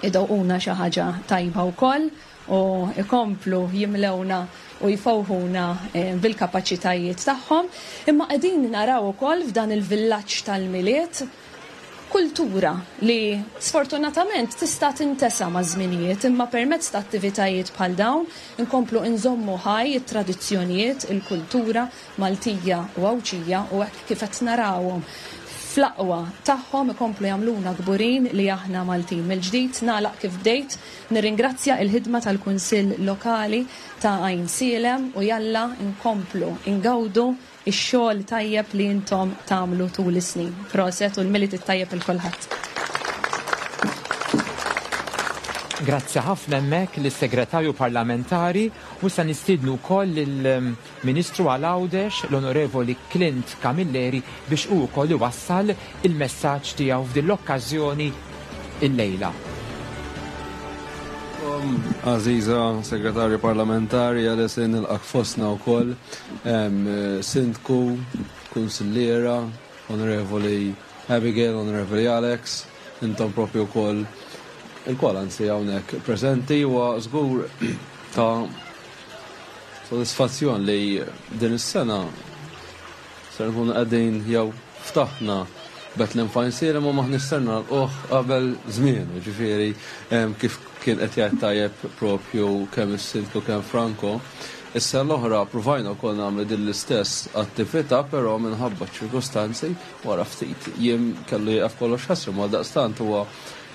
Speaker 7: idewquna xi ħaġa tajba wkoll. u jkomplu jimlewna u jfewħuna bil-kapaċitajiet tagħhom, imma qegħdin naraw ukoll f'dan il-villaġġ tal-Milied kultura li sfortunatament tista' tintesa maż-żminijiet, imma permezz ta' attivitajiet bħal dawn inkomplu inżommu ħaj it-tradizzjonijiet, il-kultura Maltija u Għawdxija u hekk kif qed narawhom fl-aqwa tagħhom ikomplu jagħmluna kburin li aħna Maltin. Mill-ġdid nagħlaq kif bdejt, nirringrazzja il-ħidma tal-Kunsill Lokali ta' Għajnsielem u jalla nkomplu ngawdu x-xogħol tajjeb li intom tagħmlu tul is-snin. Proset u l-Milied it-tajjeb lil kulħadd.
Speaker 2: Grazzi ħafna hemmhekk lis-Segretarju Parlamentari u issa nistiednu wkoll lill-Ministru għal Għawdex, l-Onorevoli Clint Camilleri biex hu wkoll iwassal il-messaġġ tiegħu f'din l-okkażjoni illejla.
Speaker 8: Għażiża Segretarju Parlamentari, Alison, nilqgħek fostna wkoll, Sindku, Kunsilliera, Onorevoli Abigail, Onorevoli Alex, intom propju wkoll ilkoll anzi hawnhekk preżenti huwa żgur ta' sodisfazzjon li din is-sena ser nkunu qegħdin jew ftaħna Bethlehem Fine Serum u m'aħniex ser nagħlquh qabel żmienu, ġifieri kif kien qed jgħid tajjeb propju kemm is-Sindku kemm Franco. Is-sena l-oħra pruvajna wkoll nagħmlu din l-istess attività però minħabba ċ-ċirkustanzi wara ftit jiem kellu jieqaf kollox ħesrem u għaldaqstant huwa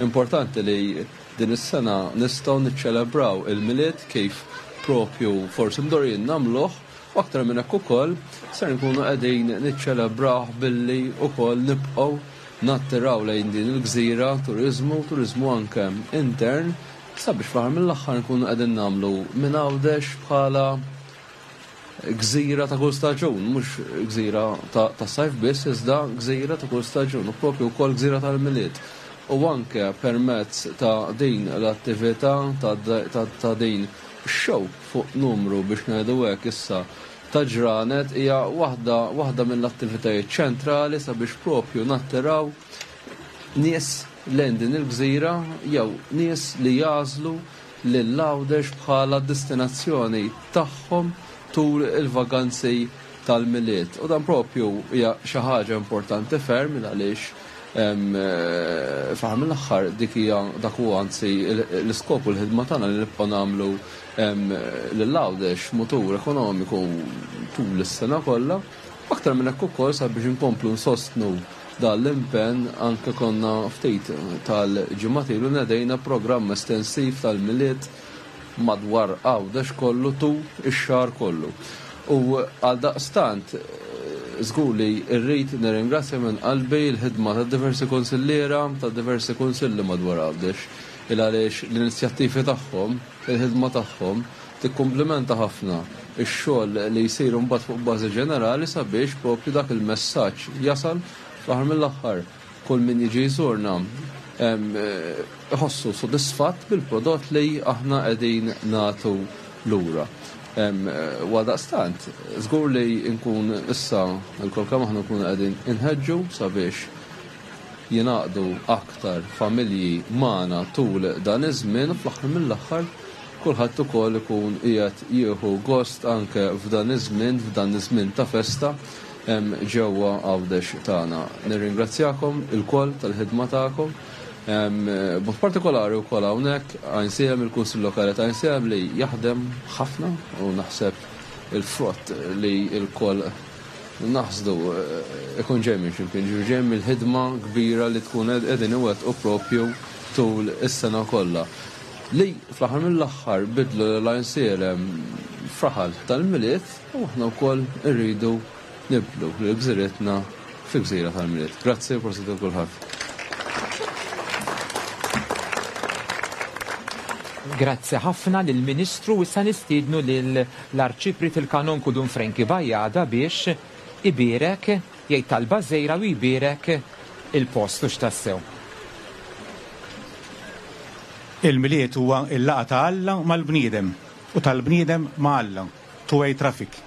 Speaker 8: importanti li din is-sena nistgħu niċċelebraw il-Milied kif propju forsi mdorrijin nagħmluh u aktar minn hekk ukoll ser nkunu qegħdin niċċelebrawh billi wkoll nibqgħu nattiraw lejn din il-gżira turiżmu, turiżmu anke intern, sabiex fl-aħħar mill-aħħar nkunu qegħdin nagħmlu minn Għawdex bħala gżira ta' kull staġun, mhux gżira tas-sajf biss, iżda gżira ta' kull staġun u propju wkoll gżira tal-Milied. U anke permezz ta' din l-attività ta' din show fuq numru biex ngħidu hekk issa ta' ġranet hija waħda waħda mill-attivitajiet ċentrali sabiex propju nattiraw nies lejn din il-gżira jew nies li jagħżlu lil Għawdex bħala destinazzjoni tagħhom tul il-vaganzi tal-Milied. U dan propju hija xi ħaġa importanti ferm għaliex fl-aħħar mill-aħħar dik hija dak huwa anzi l-iskop u l-ħidma tagħna li nibqgħu nagħmlu lil Għawdex mutur ekonomiku tul is-sena kollha. U aktar minn hekk ukoll sabiex inkomplu nsostnu dan l-impenn anke konna ftit tal-ġimgħat ilu nedejna programm estensiv tal-Milied madwar Għawdex kollu tul ix-xahar kollu. U għaldaqstant żgur li rrid nirringrazzja minn qalbi l-ħidma ta' diversi kunsilliera ta' diversi kunsilli madwar Għawdex il għaliex l-inizjattivi tagħhom, il-ħidma tagħhom tikkumplimenta ħafna x-xogħol li jsir imbagħad fuq bażi ġenerali sabiex proprju dak il-messaġġ jasal fl-aħħar mill-aħħar kull min jiġi jżurna iħossu sodisfatt bil-prodott li aħna qegħdin nagħtu lura. U għaldaqstant, żgur li nkun issa lkoll kemm aħna nkunu qegħdin inħeġġu sabiex jingħaqdu aktar familji magħna tul dan iż-żmien u fl-aħħar mill-aħħar kulħadd ukoll ikun qiegħed jieħu gost anke f'dan iż-żmien, f'dan iż-żmien ta' festa ġewwa Għawdex tagħna. Nirringrazzjakom ilkoll tal-ħidma tagħkom. B'mod partikolari wkoll hawnhekk Għajnsielem, il-Kunsill Lokali ta' Għajnsielem li jaħdem ħafna u naħseb il-frott li lkoll naħsdu ikun ġej minn x'imkien, ġifieri ġej mill-ħidma kbira li tkun qegħdin iwettqu propju tul is-sena kollha. Li fl-aħħar mill-aħħar bidlu lil Għajnsielem f'raħal tal-Milied u aħna wkoll irridu nibdlu lil gżiritna fi gżira tal-Milied. Grazzi u prosit lil kulħadd.
Speaker 2: Grazzi ħafna lill-Ministru. Issa nistiednu lill-Arċipriet il-Kanonku Dun Frankie Bajada biex ibierek, jgħid talba żgħira u jbierek il-post, hux tassew?
Speaker 4: Il-Milied huwa l-laqgħa ta' Alla mal-bniedem u tal-bniedem ma' Alla, two-way traffic.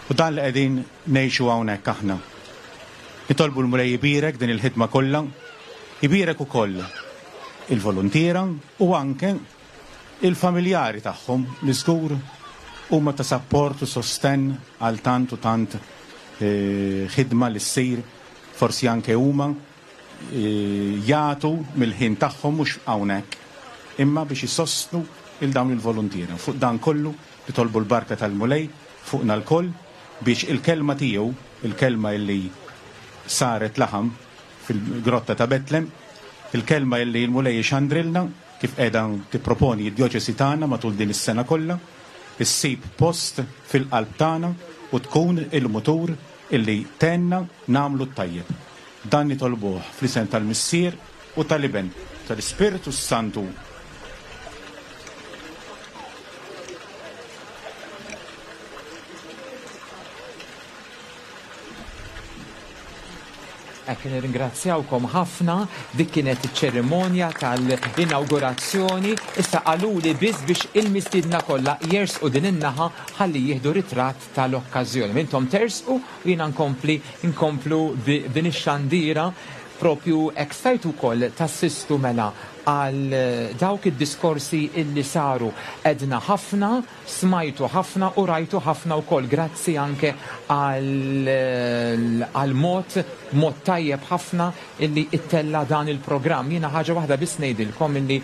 Speaker 4: U dan li qegħdin ngħixu hawnhekk aħna. Nitolbu l-Mulej ibierek din il-ħidma kollha, ibierek ukoll il-voluntiera u anke il-familjari tagħhom li żgur huma ta' sapport u sostenn għal tant u tant ħidma li ssir, forsi anke huma jagħtu mill-ħin tagħhom mhux hawnhekk imma biex isostnu lil dawn il-voluntiera. Fuq dan kollu nitolbu l-barka tal-Mulej fuqna lkoll biex il-kelma tiegħu, il-kelma illi saret laħam fil-grotta ta' Betlem, il-kelma illi l-Mulej ixandrilna kif qiegħda tipproponi d-djoċesi tagħna matul din is-sena kollha, issib post fil-qalb tagħna u tkun il-mutur illi tgħinna nagħmlu t-tajjeb. Dan nitolbuh fl-isem tal-Missier u tal-Iben u tal-Ispirtu s-Santu.
Speaker 2: Hekk nirringrazzjawkom ħafna, dik kienet iċ-ċerimonja tal-inawgurazzjoni. Issa qaluli biss biex il-mistiedna kollha jersqu din in-naħa ħalli jieħdu ritratt tal-okkażjoni. Intom tersqu u jiena nkompli nkomplu b'din ix-xandira propju hekk stajtu wkoll tassistu mela għal dawk id-diskorsi illi saru. Għedna ħafna Smajtu ħafna u rajtu ħafna wkoll grazzi anke għall-mod, mod tajjeb ħafna illi ittella' dan il-programm. Jiena ħaġa waħda biss ngħidilkom illi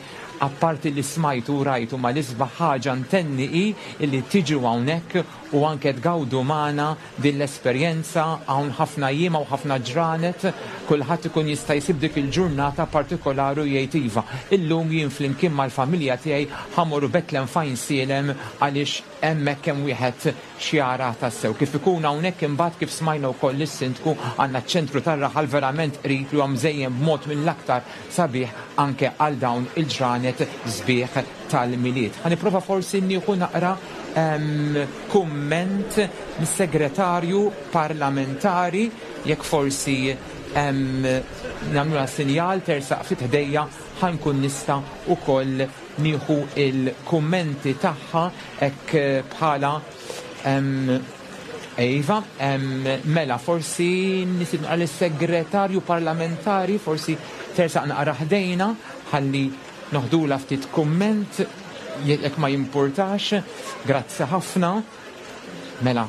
Speaker 2: apparti li smajtu u rajtu ma l-isbaħ ħaġa ntenni hi illi tiġu hawnhekk u anke tgawdu magħna din l-esperjenza hawn ħafna jiem hawn ħafna ġranet, kulħadd ikun jista' jsib dik il-ġurnata partikolari u jgħid iva, illum jien flimkien mal-familja tiegħi ħa mmorru Betlem f'Għajnsielem għaliex hemmhekk hemm wieħed x'jara tassew. Kif ikun hawnhekk imbagħad kif smajna wkoll lis-Sindku għandna ċ-ċentru tar-raħal verament qrib li huwa mżejjen b'mod mill-aktar sabiħ anke għal dawn il-ġranet sbieħ tal-Milied. Ħa nipprova forsi nieħu naqra kumment mis-Segretarju Parlamentari jekk forsi nagħmlulha sinjal tersaq ftit ħdejja ħa nkun nista' wkoll nieħu l-kummenti tagħha hekk bħala Iva, mela forsi nistiednu naqra lis-Segretarju Parlamentari forsi tersaq naqra ħdejna ħalli Noħdulha ftit kumment jekk ma jimpurtax. Grazzi ħafna. Mela,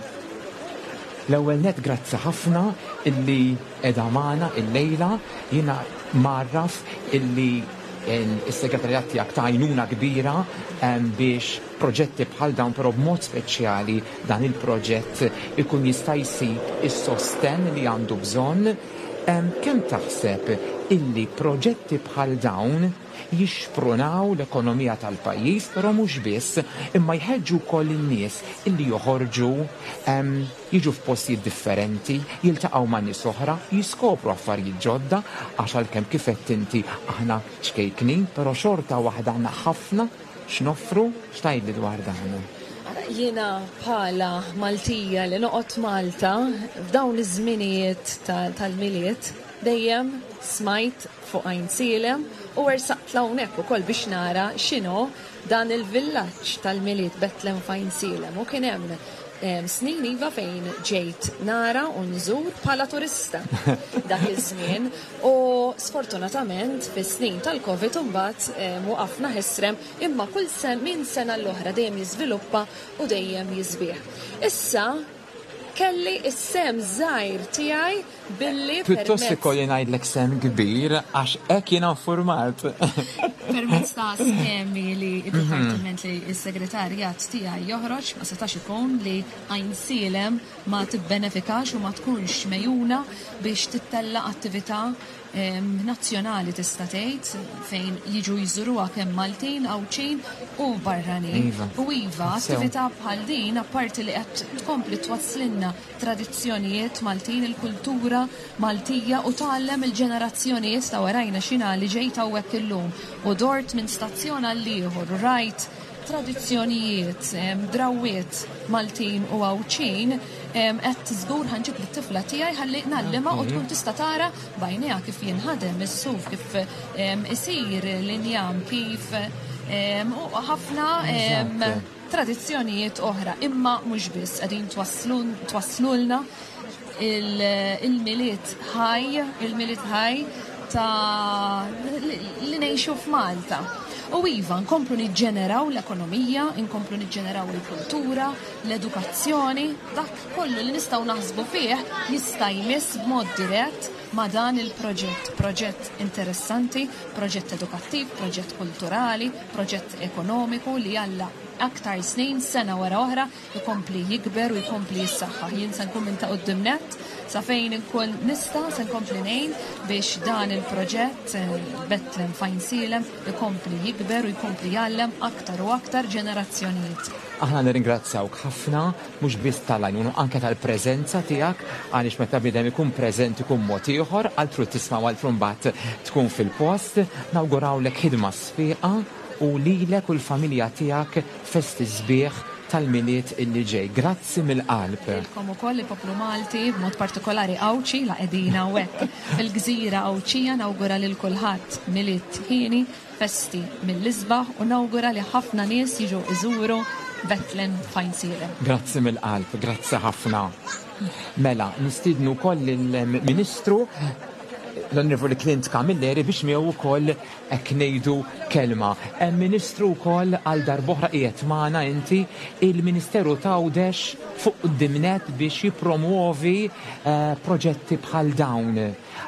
Speaker 2: l-ewwel nett grazzi ħafna illi qiegħda magħna illejla. Jiena mgħarraf illi s-segretarjat tiegħek ta' għajnuna kbira biex proġetti bħal dawn però b'mod speċjali dan il-proġett ikun jista' jsib is-sostenn li għandu bżonn. Kemm taħseb illi proġetti bħal dawn jixprunaw l-ekonomija tal-pajjiż, però mhux biss, imma jħeġġu wkoll in-nies illi joħorġu, jiġu f'postijiet differenti, jiltaqgħu ma' nies oħra, jiskopru affarijiet ġodda, għax għalkemm kif għedt inti aħna ċkejknin, però xorta waħda għandna ħafna x'noffru, x'tgħidli dwar dan?
Speaker 7: Jiena bħala Maltija li noqgħod Malta, f'dawn iż-żminijiet tal-Milied dejjem smajt fuq Għajnsielem u ersaqt l'hawnhekk ukoll biex nara x'inhu dan il-villaġġ tal-Milied Betlem f'Għajnsielem u kien hemm snin iva fejn ġejt nara u nżur bħala turista dak iż-żmien u sfortunatament fis-snin tal-Covid imbagħad waqafna ħesrem imma kull minn sena l-oħra dejjem jiżviluppa u dejjem jisbieħ. Issa kelli s-sehem żgħir tiegħi billi
Speaker 2: Pjuttost ikolli ngħidlek sehem kbir għax hekk jiena infurmat.
Speaker 7: Permezz ta' skemi li d-dipartiment li s-segretarjat tiegħi joħroġ ma setax ikun li Għajnsielem ma tibbenefikax u ma tkunx megħjuna biex tittella' attività nazzjonali tista' tgħid fejn jiġu jżuruha kemm Maltin, Għawdxin u barranin.
Speaker 2: Iva.
Speaker 7: U iva, attività bħal din apparti li qed tkompli twasslilna tradizzjonijiet Maltin, il-kultura Maltija u tgħallem il-ġenerazzjonijiet ta' warajna x'jiena li ġejt hawnhekk illum u dort minn stazzjon għall-ieħor u rajt tradizzjonijiet, drawwiet Maltin u Għawdxin, qed żgur ħa nġib lit-tifla tiegħi ħalli ngħallimha u tkun tista' tara b'għajnejha kif jinħadem is-suf, kif isir l-injam, kif u ħafna tradizzjonijiet oħra, imma mhux biss qegħdin twasslulna il-Milied ħaj, il-Milied ħaj ta' li ngħixu f'Malta. U iva, nkomplu niġġeneraw l-ekonomija, nkomplu niġġeneraw il-kultura, l-edukazzjoni, dak kollu li nistgħu naħsbu fih jista' jmiss b'mod dirett ma' dan il-proġett. Proġett interessanti, proġett edukattiv, proġett kulturali, proġett ekonomiku li Alla aktar snin, sena wara oħra, ikompli jikber u jkompli jissaħħaħ. Jien se nkun minn ta' quddiem nett sa fejn inkun nista' se nkompli ngħin biex dan il-proġett eh, Betlem Fajnsielem ikompli jikber u jkompli jgħallem aktar u aktar ġenerazzjonijiet.
Speaker 2: Aħna nirringrazzjawk ħafna mhux biss tal-għajnuna anke tal-preżenza tiegħek għaliex meta bniedem ikun preżenti ikun mod ieħor, altru tisma' u altru mbagħad tkun fil-post. Nawgurawlek ħidma sfiqa u lilek u l-familja tiegħek festi sbieħ. tal-Milied illi ġej. Grazzi mill-qalb.
Speaker 7: Lilkom ukoll il-poplu Malti, b'mod partikolari Għawdxi, la qegħdin hawnhekk fil-gżira Għawdxija nawgura lil kulħadd Milied hieni, festi mill-isbaħ u nawgura li ħafna nies jiġu iżuru Bethlehem f'Għajnsielem.
Speaker 2: Grazzi mill-qalb, grazzi ħafna. Mela, nistiednu wkoll lill-Ministru l-Onorevoli Clint Camilleri biex miegħu wkoll hekk ngħidu kelma. Hemm Ministru wkoll għal darb'oħra qiegħed magħna inti, il-Ministeru t'Għawdex fuq quddiem nett biex jippromwovi proġetti bħal dawn.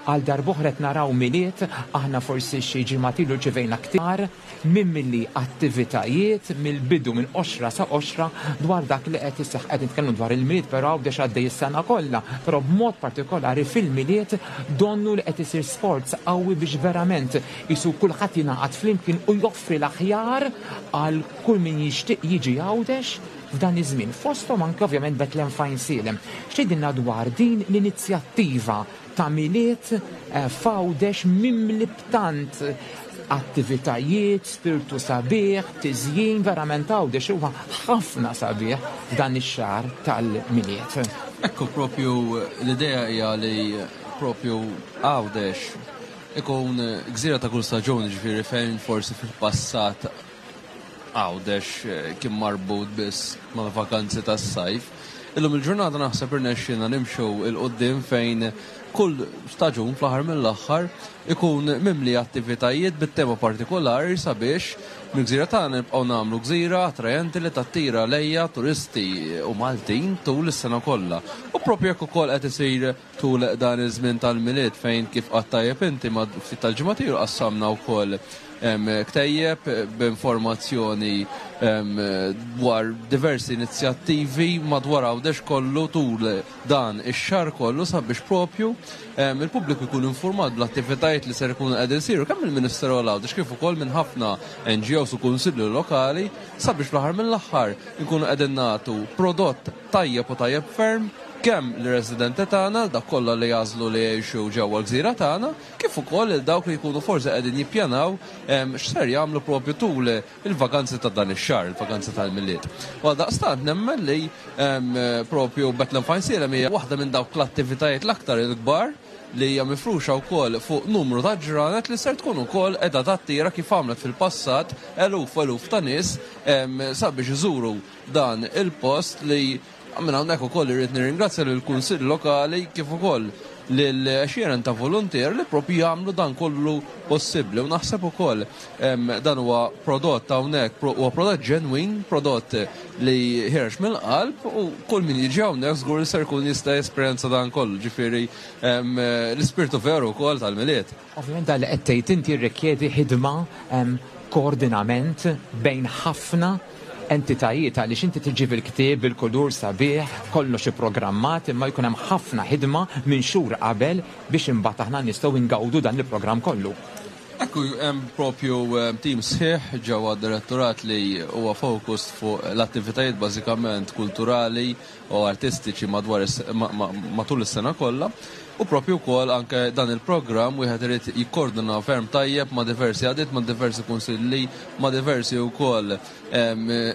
Speaker 2: Għal darb'oħra qed naraw Milied, aħna forsi xi ġimgħat ilu rċevejna ktar mimli attivitajiet mill-bidu minn qoxra sa qoxra dwar dak li qed iseħħ. Qed nitkellmu dwar il-Milied però Għawdex għaddej is-sena kollha, però b'mod partikolari fil-Milied donnu li qed isir sforz qawwi biex verament qisu kulħadd jingħaqad flimkien u joffri l-aħjar għal kull min jixtieq jiġi Għawdex f'dan iż-żmien. Fosthom anke ovvjament Bethlehem f'Għajnsielem. X'tgħidilna dwar din l-inizjattiva ta' Milied f'Għawdex mimli b'tant attivitajiet, spirtu sabiħ, tiżjin, verament Għawdex huwa ħafna sabiħ f'dan ix-xahar tal-Milied.
Speaker 8: Ekku propju l-idea hija li propju Għawdex ikun gżira ta' kull staġun, ġifieri fejn forsi fil-passat Għawdex kien marbut biss mal-vakanzi tas-sajf. Illum il-ġurnata naħseb irnexxielna nimxu 'l quddiem fejn kull staġun fl-aħħar mill-aħħar ikun mimli attivitajiet bit-tema partikolari sabiex mill-gżira tagħna nibqgħu nagħmlu gżira attrajenti li tattira lejha turisti u Maltin tul is-sena kollha. U proprju hekk ukoll qed isir tul dan iż-żmien tal-Milied fejn kif qatt tajjeb inti ma ftit tal-ġimgħat ilu qassamna wkoll ktejjeb b'informazzjoni dwar diversi inizjattivi madwar Għawdex kollu tul dan ix-xahar kollu sabiex propju il-pubbliku jkun infurmat bl-attivitajiet li ser ikunu qegħdin isiru kemm mill-Ministeru għal Għawdex kif ukoll minn ħafna NGOs u kunsilli lokali sabiex fl-aħħar mill-aħħar inkunu qegħdin nagħtu prodott tajjeb u tajjeb ferm kemm lir-residenti tagħna, dawk kollha li jagħżlu li jgħixu ġewwa l-gżira tagħna, kif ukoll lil dawk li jkunu forsi qegħdin jippjanaw x'ser jagħmlu propju tul il-vaganzi ta' dan ix-xahar, il-vaganzi tal-Milied. U għaldaqstant nemmen li propju Bethlehem Fajnsielem hija waħda minn dawk l-attivitajiet l-aktar il-kbar li hija mifruxa wkoll fuq numru ta' ġranet li ser tkun ukoll qiegħda tattira kif għamlet fil-passat eluf u eluf ta' nies sabiex iżuru dan il-post li minn hawnhekk ukoll irrid nirringrazzja lill-Kunsill Lokali kif ukoll lil għexieren ta' voluntier li proprju jagħmlu dan kollu possibbli u naħseb ukoll dan huwa prodott hawnhekk huwa prodott ġenwin, prodott li ħiereġ mill-qalb u kull min jiġi hawnhekk żgur li ser jkun jista' jesperjenza dan kollu, ġifieri l-ispirtu veru wkoll tal-Milied.
Speaker 2: Ovvjament dan li qed tgħid inti jirrikjedi ħidma, koordinament bejn ħafna entitajiet għaliex inti tiġi bil-ktieb, bil-kulur sabiħ, kollox ipprogrammat imma jkun hemm ħafna ħidma minn xhur qabel biex imbagħad aħna nistgħu ingawdu dan il-programm kollu.
Speaker 8: Ekku, hemm propju tim sħiħ ġewwa d-direttorat li huwa focused fuq l-attivitajiet bażikament kulturali u artistiċi madwar matul is-sena kollha u propju wkoll anke dan il-programm wieħed irid jikkordina ferm tajjeb ma' diversi għaqdiet, ma' diversi kunsilli, ma' diversi wkoll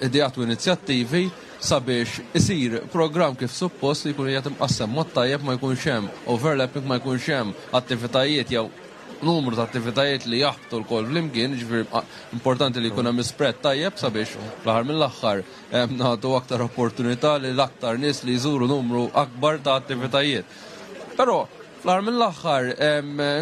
Speaker 8: ideat u inizjattivi sabiex isir programm kif suppost li jkun qiegħed imqassem mod tajjeb ma jkunx hemm overlapping, ma jkunx hemm attivitajiet jew numru ta' attivitajiet li jaħbtu lkoll flimkien, jiġifieri importanti li jkun hemm spread tajjeb sabiex fl-aħħar mill-aħħar nagħtu aktar opportunità lil aktar nies li jżuru numru akbar ta' attivitajiet. Però fl-aħħar mill-aħħar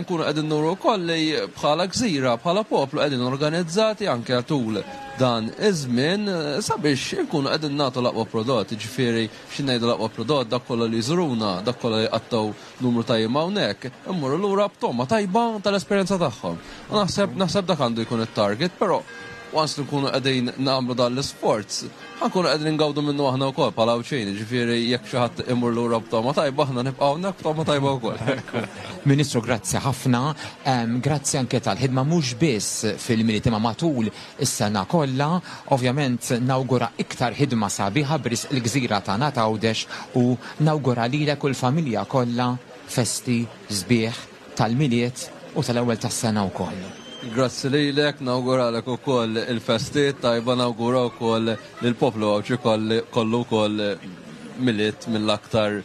Speaker 8: nkunu qegħdin nuru wkoll li bħala gżira, bħala poplu qegħdin organizzati anke tul dan iż-żmien sabiex inkunu qegħdin nagħtu l-aqwa prodott, jiġifieri xi ngħidu l-aqwa prodott dak kollha li jżuruna, dak kollha li jqattgħu numru ta' jiem hawnhekk, immorru lura b'togħma tajba tal-esperjenza tagħhom. U naħseb naħseb dak għandu jkun it-target, però once li nkunu qegħdin nagħmlu dan l-isforz, ħa nkunu qegħdin ingawdu minnu aħna wkoll bħala Għawdxin, jiġifieri jekk xi ħadd imur lura b'togħma tajba aħna nibqgħu hawnhekk b'togħma tajba wkoll.
Speaker 2: Ministru grazzi ħafna, grazzi anke tal-ħidma mhux biss fil-Milied imma matul is-sena kollha. Ovvjament nawgura iktar ħidma sabiħa b'risq il-gżira tagħna t'Għawdex u nawgura lilek u l-familja kollha festi sbieħ tal-Milied u tal-ewwel tas-sena wkoll.
Speaker 8: Grazzi lilek, nawguralek ukoll il-festi tajba, nawgura wkoll lill-poplu Għawdxi kollu wkoll Milied mill-aktar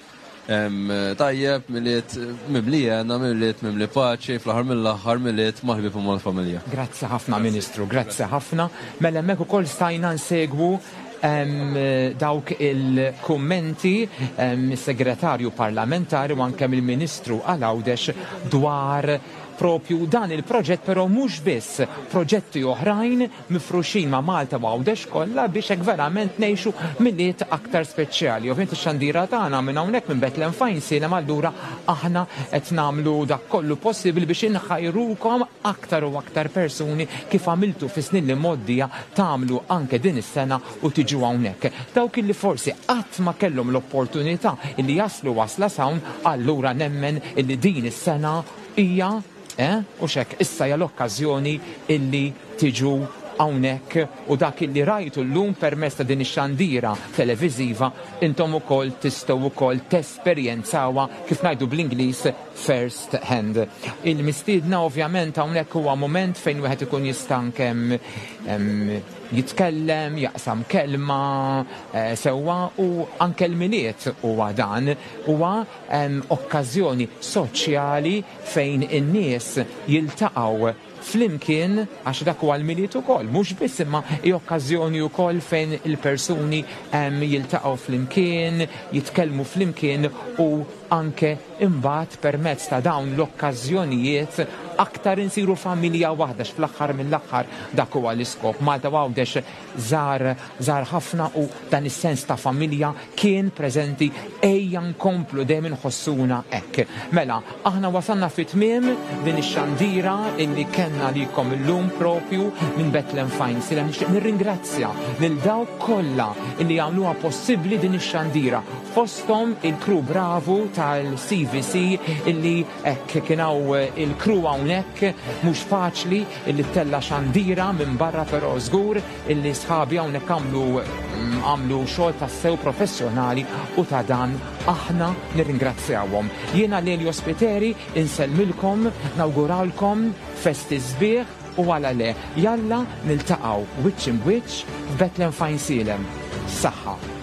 Speaker 8: tajjeb, Milied mimli hena, Milied mimli paċi, fl-aħħar mill-aħħar Milied mal-ħbieb u mal-familja.
Speaker 2: Grazzi ħafna Ministru, grazzi ħafna. Mela hemmhekk ukoll stajna nsegwu dawk il-kummenti mis-Segretarju Parlamentari u anke mill-Ministru għal Għawdex dwar propju dan il-proġett però mhux biss, proġetti oħrajn mifruxin ma' Malta u Għawdex kollha biex hekk verament ngħixu Milied aktar speċjali. Ovvjament ix-xandira tagħna minn hawnhekk minn Bethlehem f'Għajnsielem allura aħna qed nagħmlu dak kollu possibbli biex inħajrukom aktar u aktar persuni kif għamiltu fis-snin li mgħoddija tagħmlu anke din is-sena u tiġu hawnhekk. Dawk illi forsi qatt ma kellhom l-opportunità illi jaslu wasla s'hawn allura nemmen illi din is-sena hija Eh, hux hekk, issa hija l-okkażjoni illi tiġu hawnhekk u dak illi rajtu llum permezz ta' din ix-xandira televiżiva intom ukoll tistgħu wkoll tesperjenzawha kif ngħidu bl-Ingliż first hand. Il-mistiedna ovvjament hawnhekk huwa mument fejn wieħed ikun jista' anke jitkellem, jaqsam kelma eh, sewwa u anke l-Milied huwa dan, huwa okkażjoni soċjali fejn in-nies jiltaqgħu flimkien għax dak huwa l-Milied ukoll, mhux biss imma hi okkażjoni wkoll fejn il-persuni jiltaqgħu flimkien, jitkellmu flimkien u anke imbagħad permezz ta' dawn l-okkażjonijiet aktar insiru familja waħda għax fl-aħħar mill-aħħar dak huwa l-iskop. Malta u Għawdex żgħar żgħar ħafna u dan is-sens ta' familja kien preżenti ejja nkomplu dejjem inħossuna hekk. Mela, aħna wasalna fi tmiem din ix-xandira illi kellna għalikom illum propju minn Bethlehem f'Għajnsielem. Nixtieq nirringrazzja lil dawk kollha illi għamluha possibbli din ix-xandira, fosthom il-crew bravu tal-CVC illi hekk kien hawn il-crew hawnhekk mhux faċli illi ttella' xandira minn barra però żgur illi sħabi hawnhekk għamlu għamlu xogħol tassew professjonali u ta' dan aħna nirringrazzjawhom. Jiena Lelio Spiteri insellmilkom, nawguralkom festi sbieħ u għala le, jalla niltaqgħu wiċċ imb'wiċċ f'Bethlehem f'Għajnsielem. Saħħa.